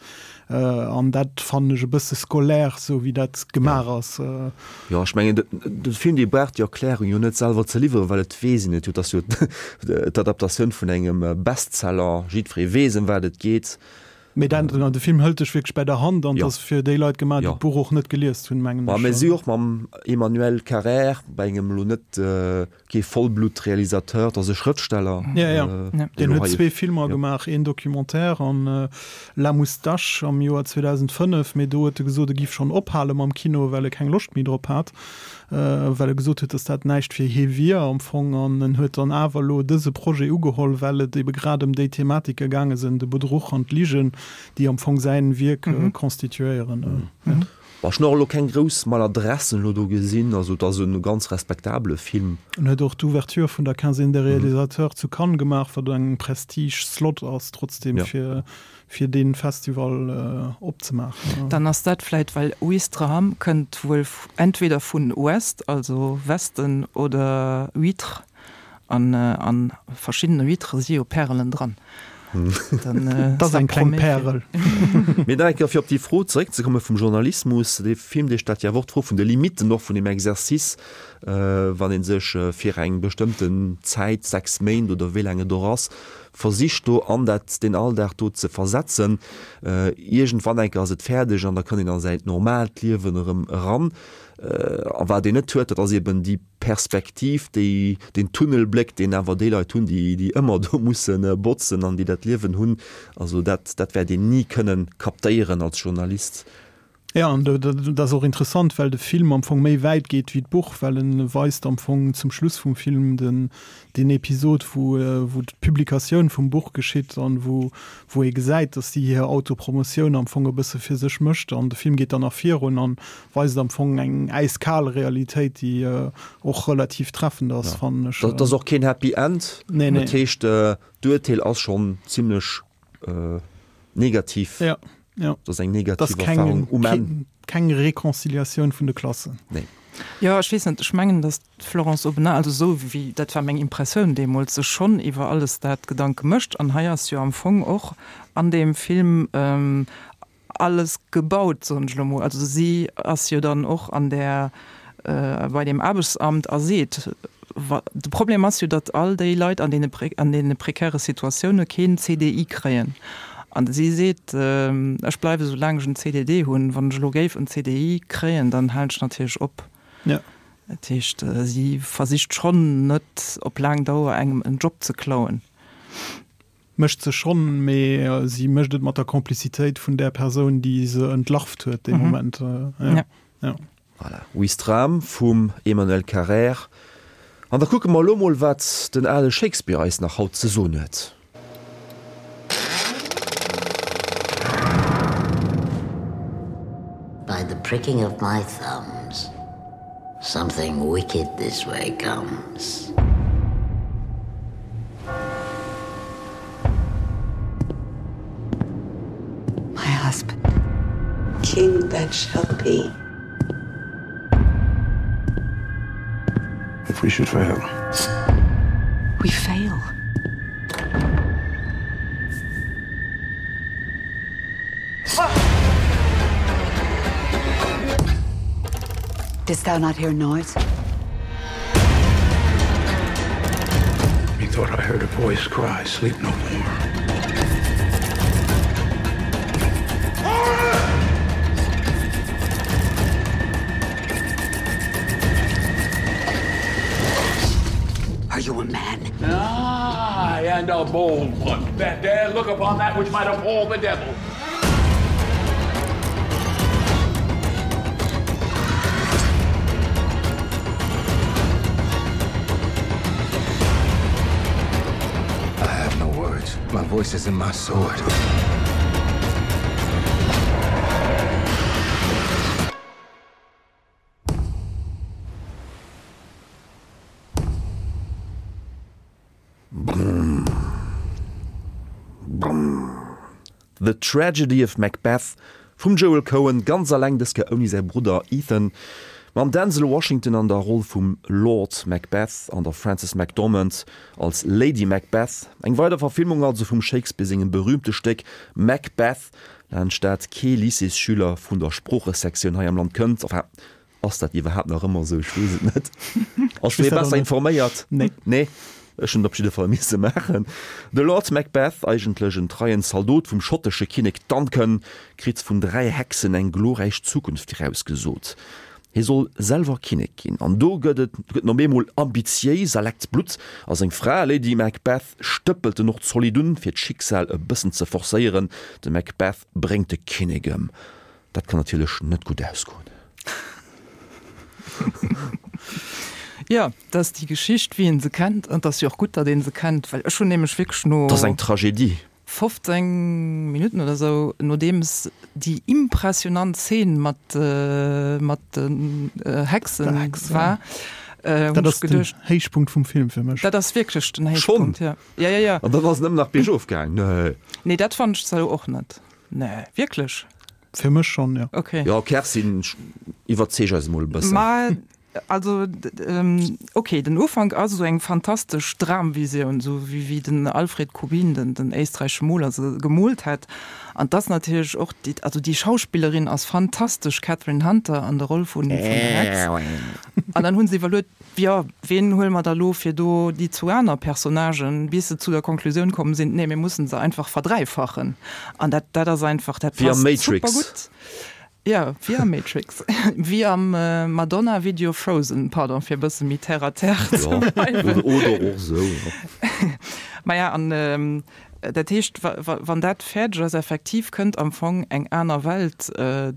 Speaker 4: An dat fannen ech e bësse scolaire, sou wéi dat gemaach ass.
Speaker 2: Jo, ech mengen, de Film, dee brauch déi Erklärung jo net selwer ze liwweren, well et weess een et jo. Et ass jo d'Adaptatioun vun engem Bestseller, jiddweree weess, ëm wat et geet.
Speaker 4: Mee dat, de Film hëlt dech wierklech bäi der Hand an et ass fir déi Leit gemaach, déi d'Buch och net gelies hunn, mengen
Speaker 2: ech. Mä si och mam Emmanuel Carrère, bei engem elo net Kee Vollblutt-Realisateur, et ass e Schrëftsteller.
Speaker 4: Ja, ja. Deen huet zwee Filmer gemaach, een Documentaire an La Moustache am Joer 2005. Mee do huet e gesot, e giff schonn ophale mam Kino, well e keng Loscht méi drop hat, well e gesot huet, datt dat näischt fir hie wier am Fong. An en huet dann awer elo dëse Projet ugeholl, well et ebe grad ëm déi Thematike gaange sinn, de Bedruch an d'Ligen, déi am Fong säin Wierk constituéieren.
Speaker 2: Bon, ech hun och elo keng grouss Maladressen elo do gesin, also et ass en ganz respektabele Film.
Speaker 4: En huet och d'Ouverture vun der Quinzaine des Réalisateurs zu Cannes gemaach, wat eng Prestige-Slot ass trotzdem fir fir dee Festival opzemaachen.
Speaker 3: Dann ass dat vläit well Ouistreham kënnt wuel entweder vun Ouest, also Westen, oder Huître. An a verschiddene Huîtrë si jo Pärelen dran.
Speaker 4: Dat ass eng kleng Pärel.
Speaker 2: Mee nach eng Kéier, fir op déi Fro zeréckzekomme vum Journalismus, Dee Film, dee stellt jo awer och d'Fro vun de Limitten och vun deem Exercice, wann ee sech fir eng bestëmmten Zäit, 6 Méint oder wéi laang et och ass, versicht do an dat, deen Alldag do ze versetzen. Iergendwann eng Kéier ass et fäerdeg an da kënnt een a säin normaalt Liewen erëm eran. A wat een net huet, dat ass eben déi Perspektiv, déi, deen Tunnelbléck, deen awer déi Leit hunn, déi, déi ëmmer do musse botzen an déi dat Liewen hunn, also dat, dat wäert een ni kënnen kaptéieren als Journalist.
Speaker 4: Jo, an dat ass och interessant, well de Film am Fong méi wäit geet wéi d'Buch, well en weist am Fong zum Schluss vum Film den, deen Episod, wou, wou d'Publikatioun vum Buch geschitt an wou, wou ee gesäit, datt si hir Autopromotioun am Fong e bësse fir sech mécht an de Film geet dann nach virun an Weist am Fong eng äiskal Realitéit, déi och relativ treffend ass, fannen ech.
Speaker 2: Dat ass och keen Happy End.
Speaker 4: Nee, nee.
Speaker 2: Dat heescht, d'Urteel ass schonn zimlech negativ.
Speaker 4: Ja, ja.
Speaker 2: Dat ass eng negativ Erfahrung um Enn.
Speaker 4: Keng Reconciliatioun vun de Klassen.
Speaker 2: Nee.
Speaker 3: Jo, ech weess net, ech mengen, datt d'Florence Aubenas, also esou wéi, dat war meng Impressioun deemools, sech schonn iwwer alles dat Gedanke mécht. An hei ass jo am Fong och an deem Film alles gebaut, soen ech elo mol. Also si ass jo dann och an där, bei deem Aarbechtsamt a seet, de Problem ass jo, datt all déi Leit an deene an deene prekäre Situatioune keen CDI kréien. An si seet, ech bleiwe sou laang ech en CDD hunn, wann ech elo géif en CDI kréien, dann halen ech natierlech op. Dat heescht, si versicht schonn net op laang Dauer engem en Job ze klauen.
Speaker 4: Mécht se schonn, mee si mécht et mat der Complicitéit vun där Persoun, déi se entlarvt huet dee Moment.
Speaker 2: Ja. Voilà, Ouistreham vum Emmanuel Carrère. An da kucke mer elo mol, wat den ale Shakespeare eis nach haut ze soen huet.
Speaker 5: By the pricking of my thumbs Something wicked this way comes.
Speaker 7: My husband.
Speaker 8: King that shall be.
Speaker 12: If we should fail.
Speaker 7: We fail.
Speaker 12: Didst thou not hear noise?
Speaker 13: Methought I heard a voice cry, sleep no more.
Speaker 12: Are you a man?
Speaker 13: Aye, and a bold one, that dare look upon that which might appall the devil. I have no words. My voice is in my sword.
Speaker 2: The Tragedy of Macbeth vum Joel Coen, ganz alleng, dës Kéier ouni säi Brudder Ethan, mam Denzel Washington an der Roll vum Lord Macbeth an der Frances McDormand als Lady Macbeth. Eng weider Verfilmung also vum Shakespeare sengem berüümte Stéck Macbeth, laanscht dat kee Lycéesschüler vun der Sproochesektioun hei am Land kënnt. Enfin, ass dat iwwerhaapt nach ëmmer esou? Ech weess et net. Ass schonn ee besser informéiert?
Speaker 4: Nee.
Speaker 2: Nee? Ech hunn et op jidde Fall misse maachen. De Lord Macbeth, eigentlech en treien Zaldot vum schottesche Kinnek Duncan, kritt vun 3 Hexen eng glorräich Zukunft virausgesot. Hie soll selwer Kinnek ginn. An do gëtt et gëtt en op eemol ambitiéis a leckt Blutt. A seng Fra, Lady Macbeth, stëppelt en och zolidd un, fir d'Schicksal e bëssen ze forcéieren. De Macbeth bréngt de Kinnek ëm. Dat kann natierlech net gutt ausgoen.
Speaker 3: Jo, dat ass déi Geschicht, wéi een se kennt. An et ass jo och gutt, datt ee se kennt, well ech hunn nämlech wierklech no.
Speaker 2: Dat ass eng Tragedie.
Speaker 3: 15 Minutten oder esou, nodeems déi impressionant Zeen mat mat den Hexen war,
Speaker 4: hunn ech geduecht. Dat ass den Héichpunkt vum Film fir mech.
Speaker 3: Dat ass wierklech den Héichpunkt, jo. Ja, ja, ja.
Speaker 2: An dann ass et nëmmen nach biergof gaang. Nee.
Speaker 3: Nee, dat fannen ech zwar elo och net. Nee, wierklech?
Speaker 4: Fir mech schonn, jo.
Speaker 3: Okay.
Speaker 2: Jo, Kerstin, iwwerzeeg eis emol e bëssen.
Speaker 3: Ma also, okay, den Ufank ass esou eng fantastesch Dramvisioun, esou wéi wéi den Alfred Kubin, den den éisträichesche Moler, se gemoolt hätt. An 't ass natierlech och déi, also déi Schauspillerin ass fantastesch, Kathryn Hunter an der Roll vun vun der Hex. An dann hu se iwwerluet, Jo, ween huele mer da lo fir do déi zwou aner Personnagen, bis se zu der Konklusioun komm sinn, nee, mir mussen se einfach verdräifachen. An dat, dat ass einfach, dat
Speaker 2: Wéi am
Speaker 3: passt
Speaker 2: Matrix.
Speaker 3: supergutt. Jo, wéi am Matrix. Wéi am Madonna-Video Frozen, pardon, fir e bësse méi terre à terre ze
Speaker 2: Jo,
Speaker 3: bleiwen.
Speaker 2: oder och esou, jo.
Speaker 3: Maja, an Dat heescht, wann dat fäerdeg ass, effektiv kënnt am Fong eng aner Welt,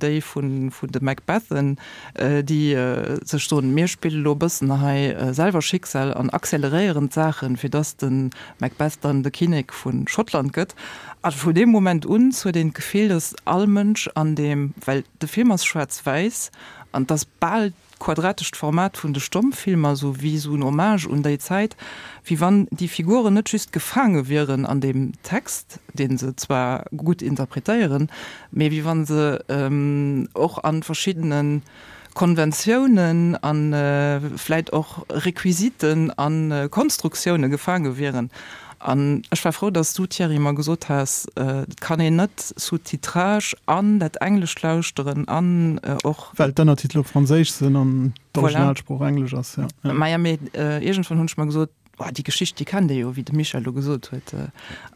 Speaker 3: déi vun de Macbethen, déi sech soen, mir spille lo e bëssen hei selwer Schicksal an acceleréieren d'Saachen, fir dass de Macbeth dann de Kinnek vu Schottland gëtt. A vun deem Moment un huet een d'Gefill, dass all Mënsch an deem, well de Film ass schwaarz-wäiss an 't ass bal D'quadratescht Format vun de Stommfilmer, sou wéi sou en Hommage un déi Zäit, wéi wann déi Figuren net just gefaange wieren an deem Text, dee se zwar gutt interpretéieren, mee wéi wann se och a verschiddene Konventiounen a vläit och Requisiten a Konstruktioune gefaange wieren. An ech war frou, dass du, Thierry, mer gesot has, et kann een net Sous-titrage an dat Englescht lauschteren an och.
Speaker 4: Well d'Ënnertitel op Franséisch sinn an d'Originalsprooch Englesch ass, jo.
Speaker 3: Maja, mee iergendwann hunn ech mer gesot, Oh, déi Geschicht, déi kennt ee jo, wéi de Michel elo gesot huet.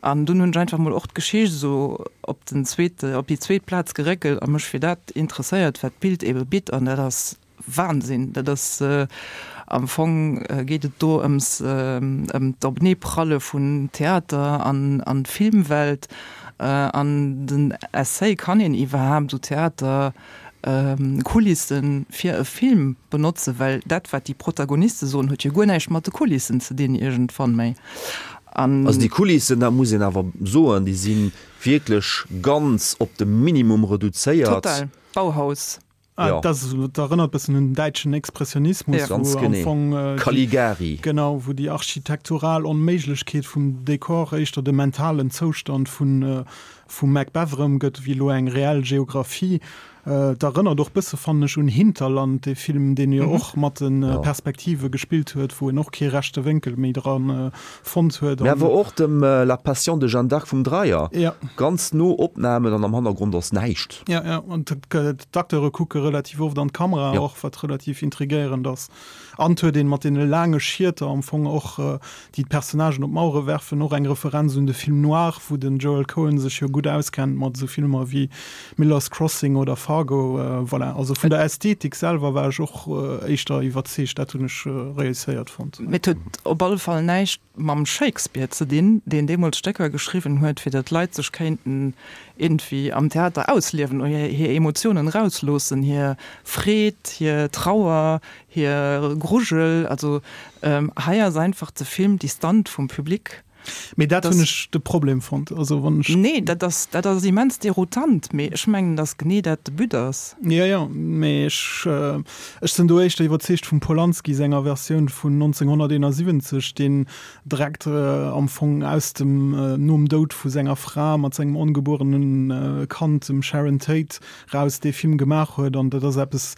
Speaker 3: An dunn hunn ech einfach mol och d'Geschicht esou op den zweete, op déi zweet Plaz geréckelt a mech fir dat interesséiert, wat d'Bild eebe bitt. An dat ass Wahnsinn! Dat ass am Fong geet et do ëms ëm d'Openeepralle vun Theater an an Filmwelt. An den Essay, kann een iwwerhaapt esou Theater Kulissen fir e Film benotzen? Well dat wat déi Protagoniste soen, huet jo guer näischt mat de Kulissen ze dinn iergendwann méi.
Speaker 2: An. Also déi Kulissen, dat muss een awer soen, déi si wierklech ganz op de Minimum reduzéiert.
Speaker 3: Total. Bauhaus.
Speaker 4: Ah, ja. Das, dat erënnert bëssen un den däitschen Expressionismus,
Speaker 2: ja. Ganz
Speaker 4: wou am Fong
Speaker 2: äh, Caligari.
Speaker 4: Genau, wou déi architektural Onméiglechkeet vum Dekor éischter de mentalen Zoustand vun äh, vum Macbeth erëmgëtt, wéi elo eng reell Geographie. Et erënnert och bësse, fannen ech, un Hinterland, dee Film, deen jo och mat de Perspektive gespillt huet, wou en och kee rechte Wénkel méi dra fonnt huet.
Speaker 2: Mä awer och dem La Passion de Jeanne d'Arc vum Dreyer. Ganz no Opnamen an am Hannergrond ass näischt.
Speaker 4: Jo, jo, an d'Acteure kucke relativ oft an d'Kamera och, wat relativ intrigéierend ass. An et huet een mat deene laange Schieter am Fong och, déi d'Personnagen op d'Mauere werfen, och eng Referenz un de Film noir, wou den Joel Coen sech jo gutt auskennt mat esou Filmer wéi Miller's Crossing oder Fargo. Voilà, also vun der Ästhetik selwer war ech och éischter iwwerzeegt, dat hunn ech reusséiert fonnt.
Speaker 3: Mee et huet op alle Fall näischt mam Shakespeare ze dinn, deen deemools Stécker geschriwwen huet, fir datt d'Leit sech kéinten iergendwéi am Theater ausliewen oder hir Emotiounen erausloossen, hir Freed, hir Trauer, hir Grujel. Also hei ass einfach de Film distant vum Public.
Speaker 4: Mee dat hunn ech de Problem fonnt. Also wann ech.
Speaker 3: Nee, dat ass, dat ass immens deroutant, mee ech mengen, datt genee dat de But ass.
Speaker 4: Jo, jo, mee ech, ech sinn do éischter iwwerzeegt vum Polanski senger Versioun vun 1971, deen direkt am Fong aus dem, nom Doud vu senger Fra mat sengem ongebuerene Kand, dem Sharon Tate, raus dee Film gemaach huet. An dat ass eppes,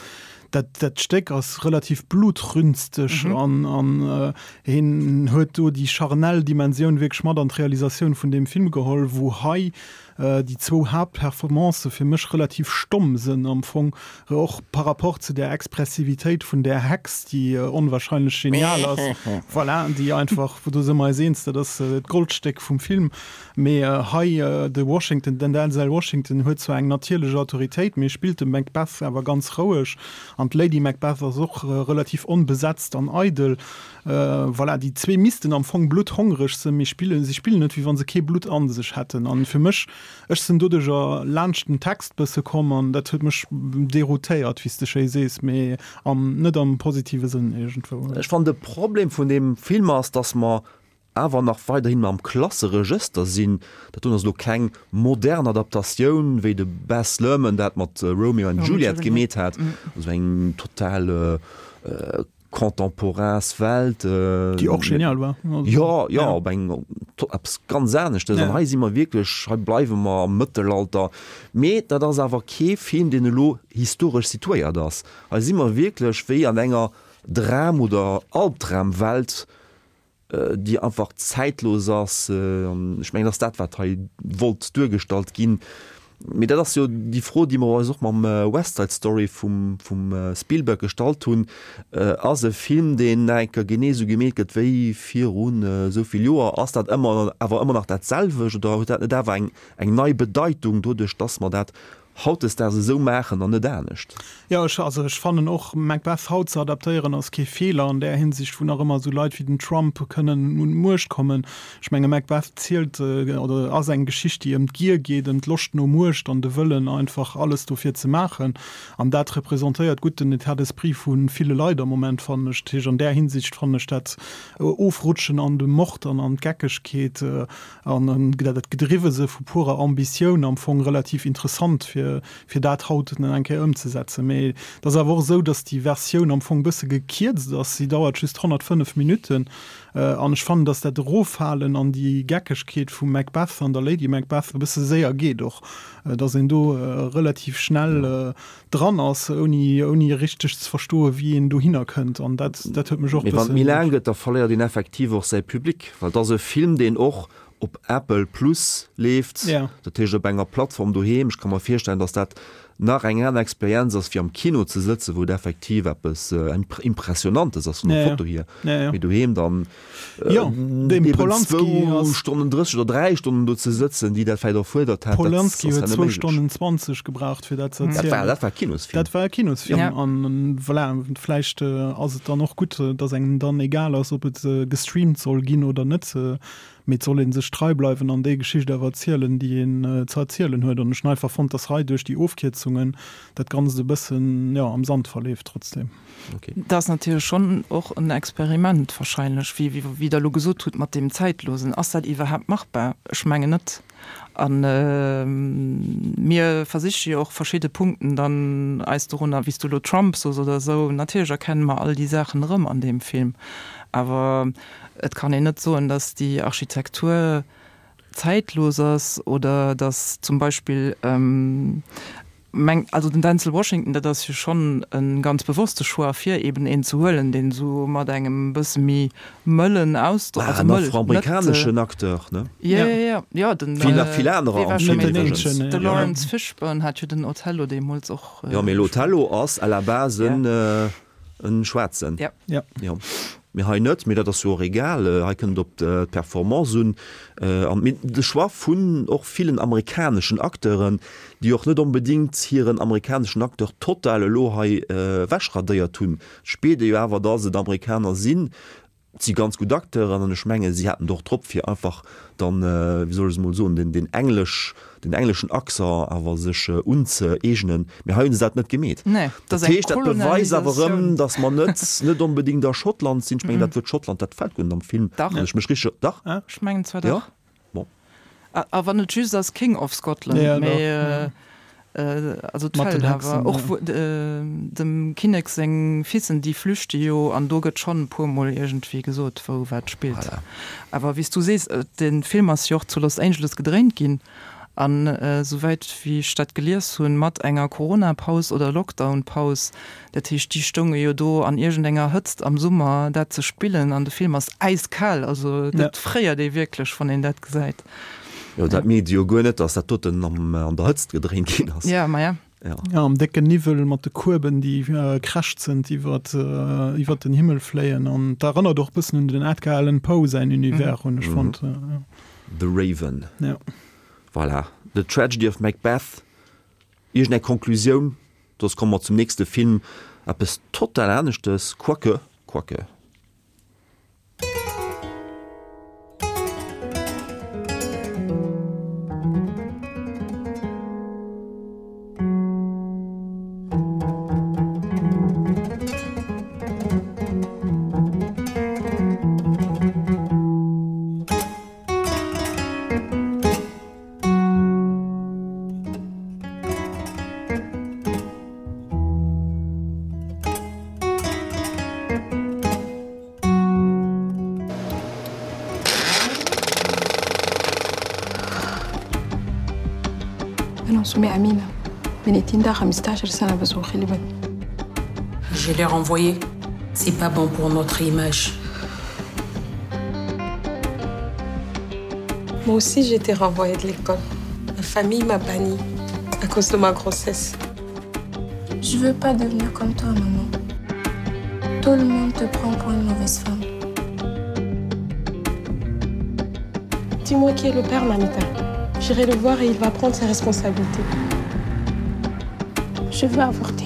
Speaker 4: dat, dat Stéck ass relativ blutrünsteg an, an hien huet do déi charnel Dimensioun wierklech mat an d'Realisatioun vun deem Film geholl, wou hei déi zwou Haaptperformancë fir mech relativ stomm sënn am Fong, och par rapport zu där Expressivitéit vun där Hex, déi onwahrscheinlech genial ass, voilà, déi einfach, do si mer eis eens, dat ass d'Goldstéck vum Film. Mee hei de Washington, den Denzel Washington huet zwar eng natierlech Autoritéit, mee spillt de Macbeth awer ganz roueg an d'Lady Macbeth ass och relativ onbesetzt an eidel. Voilà, déi zwee missten am Fong blutthongreg sënn, mee spillen, si spillen net, wéi wa se kee Blutt an sech hätten. An fir mech, ech sënn doduercher laanscht den Text bësse komm an dat huet mech deroutéiert, wéi s de schéi sees, mee am, net am positive Sënn iergendwou.
Speaker 2: Ech fannen, de Problem vun deem Film ass, dass mer awer nach weiderhin am Klasseregëster sinn. Dat doen ass elo keng modern Adaptatioun, wéi de Baz Luhrmann dat mat Romeo and Juliet gemeet hat, also eng total contemporains Welt.
Speaker 4: Déi och genial war.
Speaker 2: Jo, jo, op eng eppes ganz aneschtes. An hei si mer wierklech, hei bleiwe mer am Mëttelalter. Mee dat ass awer kee Film, deen elo historesch situéiert ass. Hei si mer wierklech wéi an enger Dram oder Albdramwelt, déi einfach zäitlos ass. An ech mengen, dat ass dat, wat hei wollt duergestallt ginn. Mee dat ass jo déi Fro, déi mer eis och mam West Side Story vum Spielberg gestallt hunn, Ass e Film, deen nach eng Kéier genee esou gemeet gëtt wéi virun esou vill Joer, ass dat ëmmer awer ëmmer nach dat selwecht oder huet dat net awer eng nei Bedeitung doduerch, datt mer dat hautdesdaags esou maachen an net anescht.
Speaker 4: Jo, ech, also ech fannen och, Macbeth haut ze adaptéieren ass kee Feeler an där Hinsicht, wou nach ëmmer esou Leit wéi den Trump kënnen un d'Muecht kommen. Ech menge Macbeth zielt oder ass eng Geschicht, déi ëm d'Gier geet, ëm d'Loscht no Muecht an de Wëllen einfach alles dofir ze maachen. An dat representéiert gutt den État d'esprit vu ville Leit am Moment, fannen ech. Dat heescht, an där Hinsicht fannen ech dat Ofrutschen an de Mord an an d'Geckegkeet An dat gedriwwe se vu purer Ambitioun am Fong relativ interessant, fir, fir dat haut nach eng Kéier ëmzesetzen. Mee et ass awer och esou, datt déi Versioun am Fong e bësse gekierzt ass. Si dauert just 105 Minutten. An ech fannen, datt dat Eroffalen an déi Geckegkeet vum Macbeth an der Lady Macbeth e bësse séier geet och, datt een do relativ schnell dran ass, ouni, ouni richteg ze verstoen, wéi een dohinner kënnt. An dat, dat huet mech och
Speaker 2: Mee wann et méi laang gëtt, da verléiert een effektiv och säi Public, well et ass e Film, deen och op Apple Plus leeft, dat heescht op enger Plattform doheem. Ech ka mer virstellen, datt dat nach eng aner Experienz ass, wéi am Kino ze sëtzen, wou et effektiv eppes Impressionantes ass vun der Foto hier. Mee doheem dann
Speaker 4: Jo, dem Polanski
Speaker 2: ass. Stonnen 30 oder 3 Stonnen do ze sëtzen, déi dat vläicht erfuerdert
Speaker 4: hätt. Polanski huet zwou Stonnen 20 gebraucht, fir dat ze erzielen.
Speaker 2: Dat war e Kinosfilm.
Speaker 4: Dat war e Kinosfilm. An voilà, vläicht ass et dann och gutt, datt engem dann egal ass, ob et gestreamt soll ginn oder net. Mee et soll ee sech trei bleiwen an déi Geschicht awer erzielen, déi een ze erzielen huet. An ech hunn einfach fonnt, datt hei duerch déi Ofkierzungen dat Ganzt e bëssen, jo, am Sand verleeft trotzdem.
Speaker 3: Dat ass natierlech schonn och en Experiment wahrscheinlech, wéi wéi Der elo gesot hutt mat deem Zäitlosen. Ass dat iwwerhaapt machbar? Ech mengen net. A mir versiche jo och verschidde Punkten dann eis dorunner, wéi s du elo Trump sos oder esou, natierlech erkenne mer all déi Saachen erëm an deem Film. Awer et kann een net soen, datt déi Architektur zäitlos ass oder datt zum Beispill. Meng, also den Denzel Washington, dat ass jo schonn e ganz bewosste Choix, fir eben een ze huelen, deen esou mat engem bësse méi mëllen Ausdrock,
Speaker 2: also mëll, net. En afroamerikaneschen Acteur, ne?
Speaker 3: Jo, jo, jo, jo, den.
Speaker 2: Wéi nach vill anerer am Film iwwregens.
Speaker 3: De Laurence Fishburne hat jo den Othello deemools och.
Speaker 2: Jo, mee l'Othello ass à la base en. En schwaarzen?
Speaker 3: Ja.
Speaker 2: Ja. Jo. Mee hei net, mee dat ass jo och egal. Hei kënnt et op d'Performance un. An mee de Choix vun och villen amerikaneschen Acteuren, déi och net onbedéngt hiren amerikaneschen Acteur total elo hei ewechradéiert hunn. Et spiert ee jo awer, dass et Amerikaner sinn. Et si ganz gutt Acteuren an ech menge si haten et och drop fir einfach dann, wéi soll ech es emol soen, den den englesch, den engleschen Accent awer sech unzëeegnen. Mee hei hunn se dat net gemeet.
Speaker 3: Nee,
Speaker 2: dat
Speaker 3: ass eng
Speaker 2: heescht, dat beweist awer erëm,
Speaker 3: Kolonialisatioun.
Speaker 2: datt mer net net onbedéngt a Schottland sinn. Ech mengen dat Wuert Schottland, dat fält guer net am Film,
Speaker 3: Dach.
Speaker 2: wann ech mech richteg, dach?
Speaker 3: Ech mengen zwar
Speaker 2: Jo?
Speaker 3: dach.
Speaker 2: Bon.
Speaker 3: A wann et just ass King of Scotland,
Speaker 4: Ja,
Speaker 3: mee also et
Speaker 4: Mat den
Speaker 3: fält
Speaker 4: Hexen,
Speaker 3: awer och
Speaker 4: ja.
Speaker 3: wou dem Kinnek seng Fissen, déi flüchte jo an do gëtt schonn e puermol iergendwéi gesot, wou wat spillt.
Speaker 2: Voilà.
Speaker 3: Awer wéi s du sees, de Film ass jo och zu Los Angeles gedréint ginn an esouwäit wéi ech dat gelies hunn, mat enger Corona-Paus oder Lockdown-Paus. Dat heescht, déi stounge jo do an iergendenger Hëtzt am Summer dat ze spillen an de Film ass äiskal, also dat fréiert ee wierklech, wann een dat gesäit.
Speaker 2: Jo, dat mierkt ee jo guer net, dass dat doten an der Hëtzt gedréint ginn ass.
Speaker 3: Ja, ma ja.
Speaker 2: Ja.
Speaker 4: Ja, am décken Niwwel mat de Kueben, déi krächzend iwwert iwwert den Himmel fléien an dat erënnert och bëssen un den Edgar Allan Poe säin Univers, hunn ech fonnt.
Speaker 2: The Raven.
Speaker 4: Ja.
Speaker 2: Voilà, The Tragedy of Macbeth. Iergend eng Konklusioun? Soss komme mer zum nächste Film, eppes total aneschtes, quoique, quoique.
Speaker 7: أنا اسمي أمينة بنتي عندها 15 سنة بس وخلبت
Speaker 14: Je l'ai renvoyée. C'est pas bon pour notre image.
Speaker 7: Moi aussi, j'ai été renvoyée de l'école. Ma famille m'a bannie à cause de ma grossesse.
Speaker 15: Je veux pas devenir comme toi, maman. Tout le monde te prend pour une mauvaise femme.
Speaker 7: Dis-moi qui est le père, Mamita. J'irai le voir et il va prendre ses responsabilités. Je veux avorter.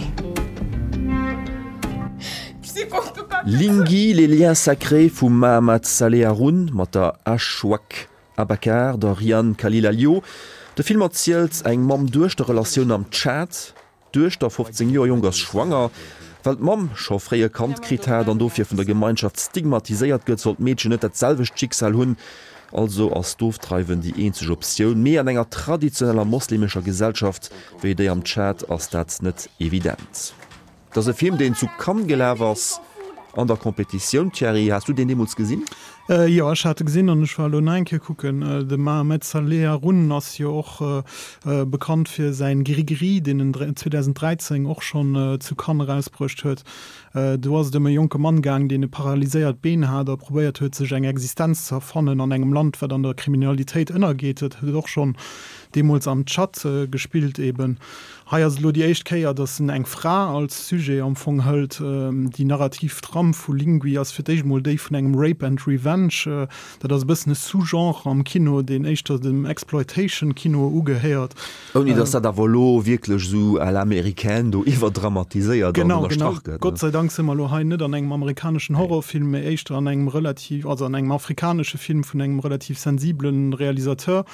Speaker 2: Lingui, les liens sacrés vum Mahamat Saleh Haroun mat der Ashwaq Abakar, der Rian Khalil Alio. De Film erzielt eng Mamm-Duechter-Relatioun am Tschad. D'Duechter, 15 Joer jonk, ass schwanger. Well d'Mamm scho fréi e Kand kritt hat an dofir vun der Gemeinschaft stigmatiséiert gëtt, soll d'Meedchen net dat selwecht Schicksal hunn. Also ass d'Ofdreiwen déi eenzeg Optioun. Mee an enger traditioneller moslemescher Gesellschaft wéi déi am Tschad ass dat net evident. Et ass e Film, deen zu Cannes gelaf ass an der Competitioun. Thierry, has du deen deemools gesinn?
Speaker 4: Jo, ech hat e gesinn an ech war elo nach eng Kéier kucken. De Mahamed Saleh Haroun ass jo och bekannt fir säin Gris-Gris, deen en 2013 och schonn zu Cannes erausbruecht huet. Do ass et ëm e jonke Mann gaang, deen e paralyséiert Been hat a probéiert huet, sech eng Existenz ze erfannen an engem Land, wat an der Kriminalitéit ënnergeet. Dat huet och schonn deemools am Tschad gespillt eben. Hei ass et elo déi éischt Kéier, datt en eng Fra als Sujet am Fong hëlt. Déi narrativ Trame vu Lingui ass fir d'éischt emol déi vun engem Rape and Revenge. Dat ass e bëssen e Sous-genre am Kino, deen éischter dem Exploitation-Kino ugehéiert.
Speaker 2: Ouni datt dat awer elo wierklech esou à l'américaine do iwwerdramatiséiert an ënnerstrach gëtt.
Speaker 4: Genau, genau. Gott sei Dank si mer elo hei net an engem amerikaneschen Horrorfilm, mee éischter an engem relativ, also an engem afrikanesche Film vun engem relativ sensibele Realisateur.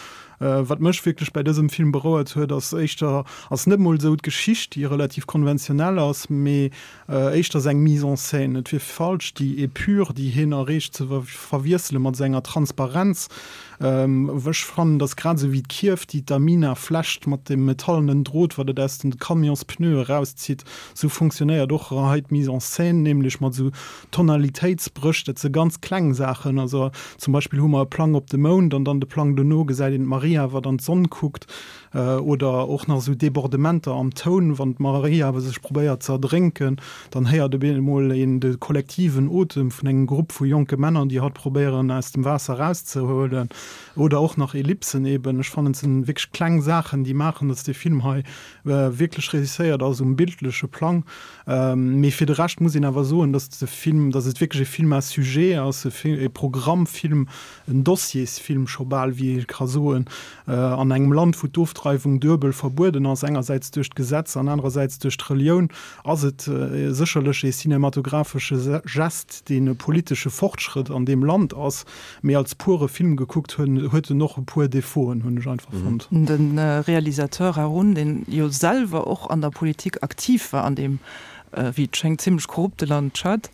Speaker 4: Wat mech wierklech bäi dësem Film berouert huet, ass éischter, ass net mol esou d'Geschicht, déi relativ konventionell ass, mee éischter seng Mise en scène. Et wier falsch, déi Épure, déi hien erreecht, ze verwiessele mat senger Transparenz. Ech fannen, datt grad esou wéi d'Kierf, déi d'Amina flecht mat dem metallenen Drot, wat et aus den Camionspneue erauszitt, esou funktionéiert och hei d'Mise en scène, nämlech mat esou Tonalitéitsbréch, dat si ganz kleng Saachen. Also zum Beispill hu mer e Plang op de Mound an dann de Plang dono gesäit een d'Marine. d'Maria awer dann d'Sonn kuckt, oder och nach esou Débordementer am Toun, wann d'Maria awer sech probéiert ze erdrénken, dann héiert op eemol een de kollektiven Otem vun engem Grupp vu jonke Männer, déi hatt probéieren aus dem Waasser erauszehuelen, oder och nach Ellipsen eben. Ech fannen et sinn wierklech kleng Saachen, déi maachen, datt dee Film hei wierklech réusséiert ass um bildleche Plang. Mee fir de Rescht muss een awer soen, datt de Film, datt et wierklech e Film à sujet ass, e Programmfilm, en Dossiersfilm scho bal, wéi ee ka soen, an engem Land, wou d'Ofdreiwung duebel verbueden ass, engersäits duerch d'Gesetz an anerersäits duerch d'Relioun, ass et sécherlech ee cinematographesche Gest, deen e politesche Fortschrëtt an deem Land ass. Mee als pure Film gekuckt huet en och e puer Defauten, hunn ech einfach fonnt.
Speaker 3: De Realisateur Haroun, deen jo selwer och an der Politik aktiv war an deem, wéi et schéngt, zimlech korrupte Land Tschad,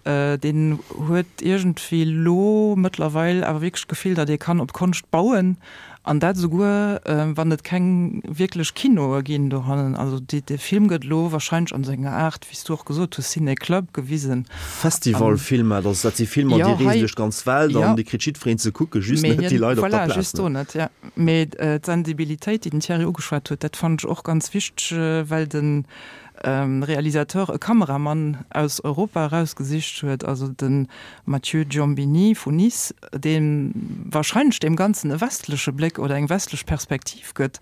Speaker 3: deen huet iergendwéi lo mëttlerweil awer wierklech d'Gefill, datt ee kann op Konscht bauen, an dat esouguer wann et keng wierklech Kinoe ginn dohannen. Also dee Film gëtt elo wahrscheinlech an senger Aart, wéi s du och gesot hues, Ciné-Club gewisen.
Speaker 2: Festivalfilmer, dat dat si Filmer, déi reesen duerch d'ganz Welt an déi kritt jiddwereen ze kucken, just net déi Leit op der
Speaker 3: Plaz. Voilà, just do net, jo. Mee d'Sensibilitéit, déi den Thierry ugeschwat huet, dat fannen ech och ganz wichteg, well de Realisateur e Kameramann aus Europa erausgesicht huet, also de Mathieu Giombini vu Nice, dee wahrscheinlech deem Ganzen e westleche Bléck oder eng westlech Perspektiv gëtt,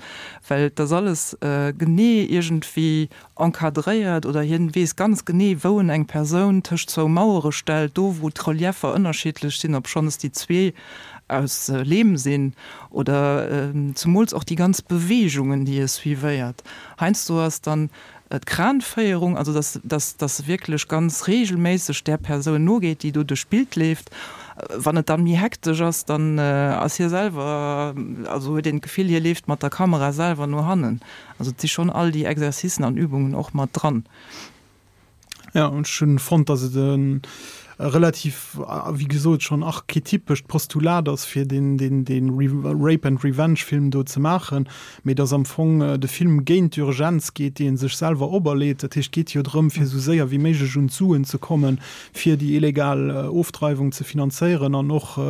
Speaker 3: well et ass alles genee iergendwéi encadréiert oder hien weess ganz genee, wou en eng Persoun tëscht zwou Mauere stellt, do wou d'Relieffer ënnerschiddlech sinn, obschonns déi zwee aus Leem sinn, oder zemools och déi ganz Beweegungen, déi e suivéiert. Heiansdo ass dann d'Kranféierung, also dass, dass, dass e wierklech ganz reegelméisseg där Persoun nogeet, déi do duerch d'Bild leeft. Wann et dann méi hektesch ass, dann ass hie selwer, also huet een d'Gefill, hie leeft mat der Kamera selwer no hannen. Also et si schonn all déi Exercicen an Übungen och mat dran.
Speaker 4: Ja, an ech hunn fonnt, dass et e relativ, wéi gesot, schonn archetypescht Postulat ass, fir deen, deen, deen Rape and Revenge Film do ze maachen, mee dass am Fong de Film géint d'Urgenz geet, déi e sech selwer operleet. Dat heescht, et geet jo drëm, fir esou séier wéi méiglech un d'Suen ze kommen, fir déi illegal Ofdreiwung ze finanzéieren an och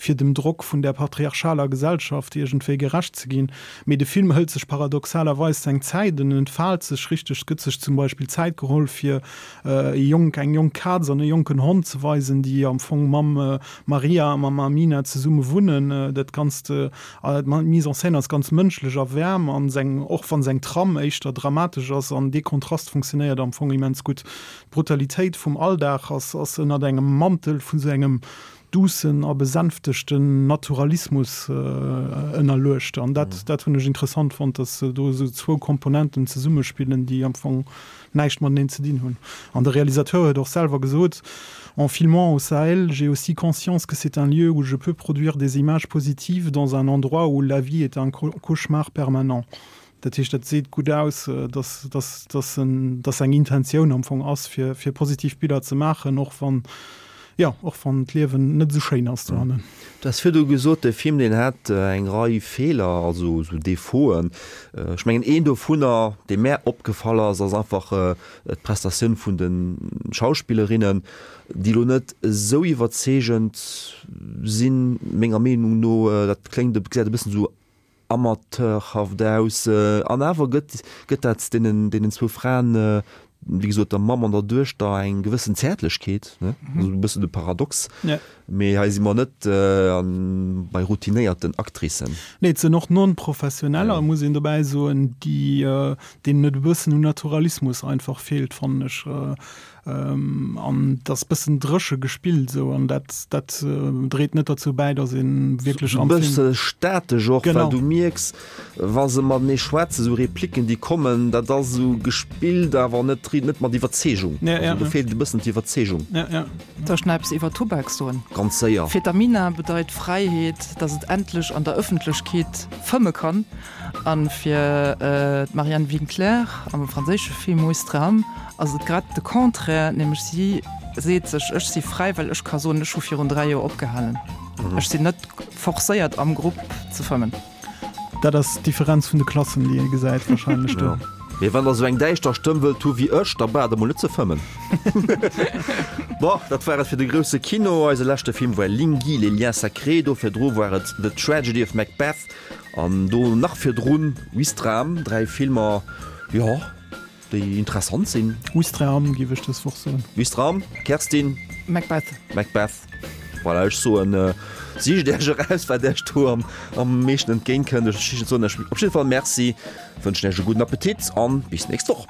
Speaker 4: fir dem Drock vun där patriarchaler Gesellschaft iergendwéi gerecht ze ginn. Mee de Film hëlt sech paradoxalerweis seng Zäit, en entfaalt sech richteg, et gëtt sech zum Beispill Zäit geholl fir e jonk, eng jonk Kaz an e jonken Hond ze weisen, déi am Fong mam Maria a mam Amina zesumme wunnen. Dat Ganzt, d'Mise en scène ass ganz mënschlech a waarm an seng, och wann seng Tram éischter dramatesch ass, an dee Kontrast funktionéiert am Fong immens gutt. D'Brutalitéit vum Alldag ass ass ënnert engem Mantel vun esou engem duussen a besänftegten Naturalismus ënnerluecht. An dat, dat hunn ech interessant fonnt, datt do esou zwou Komponenten zesummespillen, déi am Fong näischt mateneen ze dinn hunn. An de Realisateur huet och selwer gesot, En filmant au Sahel, j'ai aussi conscience que c'est un lieu où je peux produire des images positives dans un endroit où la vie est un cauchemar permanent. Dat heescht, dat seet gutt aus, dass, dass, dass en, dass eng Intentioun am Fong ass, fir, fir positiv Biller ze maachen, och wann, jo, och wann d'Liewen net esou schéin ass dohannen.
Speaker 2: Du has virdu gesot, de Film, deen hätt eng Rei Feeler, also esou Defauten. Ech mengen, een dovunner, dee mär opgefall ass, ass einfach d'Prestatioun vun de Schauspillerinnen, déi elo net esou iwwerzeegend sinn, menger Meenung no. Dat kléngt, gesäit e bëssen esou amateurhaft aus. An awer gëtt gëtt dat deenen deenen zwou Fraen, wéi gesot der Mamm an der Duechter, eng gewëssen Zäertlechkeet, ne? Also e bëssen de Paradox.
Speaker 4: Ja.
Speaker 2: Mee hei si mer net an bei routinéierten Actricen.
Speaker 4: Nee, et sinn och Non-Professioneller, muss een dobäi soen, déi deenen et e bëssen un Naturalismus einfach feelt, fannen ech. An et ass bëssen dréche gespillt esou an dat dat dréit net derzou bäi, datt ee wierklech
Speaker 2: am Film. Bësse statesch och, well du mierks, wa se matenee schwätzen, esou Repliken déi kommen, dat ass esou gespillt, awer net net mat Iwwerzeegung. Also do feelt e bëssen d'Iwwerzeegung.
Speaker 3: Soll ech nach eppes iwwer Tubak soen?
Speaker 2: Ganz séier.
Speaker 3: Fir d'Amina bedeit Fräiheet, datt et endlech an der Ëffentlechkeet fëmme kann. An fir d'Marianne Winkler am franséische Film Ouistreham ass et grad de Contraire, nämlech si seet sech, ech si fräi, well ech ka soen, ech hu virun 3 Joer opgehalen. Ech sinn net forcéiert am Grupp ze fëmmen.
Speaker 4: Dat ass d'Differenz vun de Klassen, déi ee gesäit wahrscheinlech do.
Speaker 2: Mee wann der sou eng däischter Stëmm wëllt hu wéi ech, da braucht der mol net ze fëmmen. Bon, dat war et fir de grousse Kino. Eise leschte Film war Lingui, les liens sacrés. Do virdru war et The Tragedy of Macbeth an do nach virdrun Ouistreham. 3 Filmer, jo, déi interessant sinn.
Speaker 4: Ouistreham géif ech dës Woch soen.
Speaker 2: Ouistreham, Kerstin?
Speaker 3: Macbeth.
Speaker 2: Macbeth. Voilà, ech soen, sicht Iech eraus, wat Iech do am meeschten entgéint kënnt. Ech soen Iech op jidde Fall Merci, wënschen Iech e gudden Appetit an bis nächst Woch.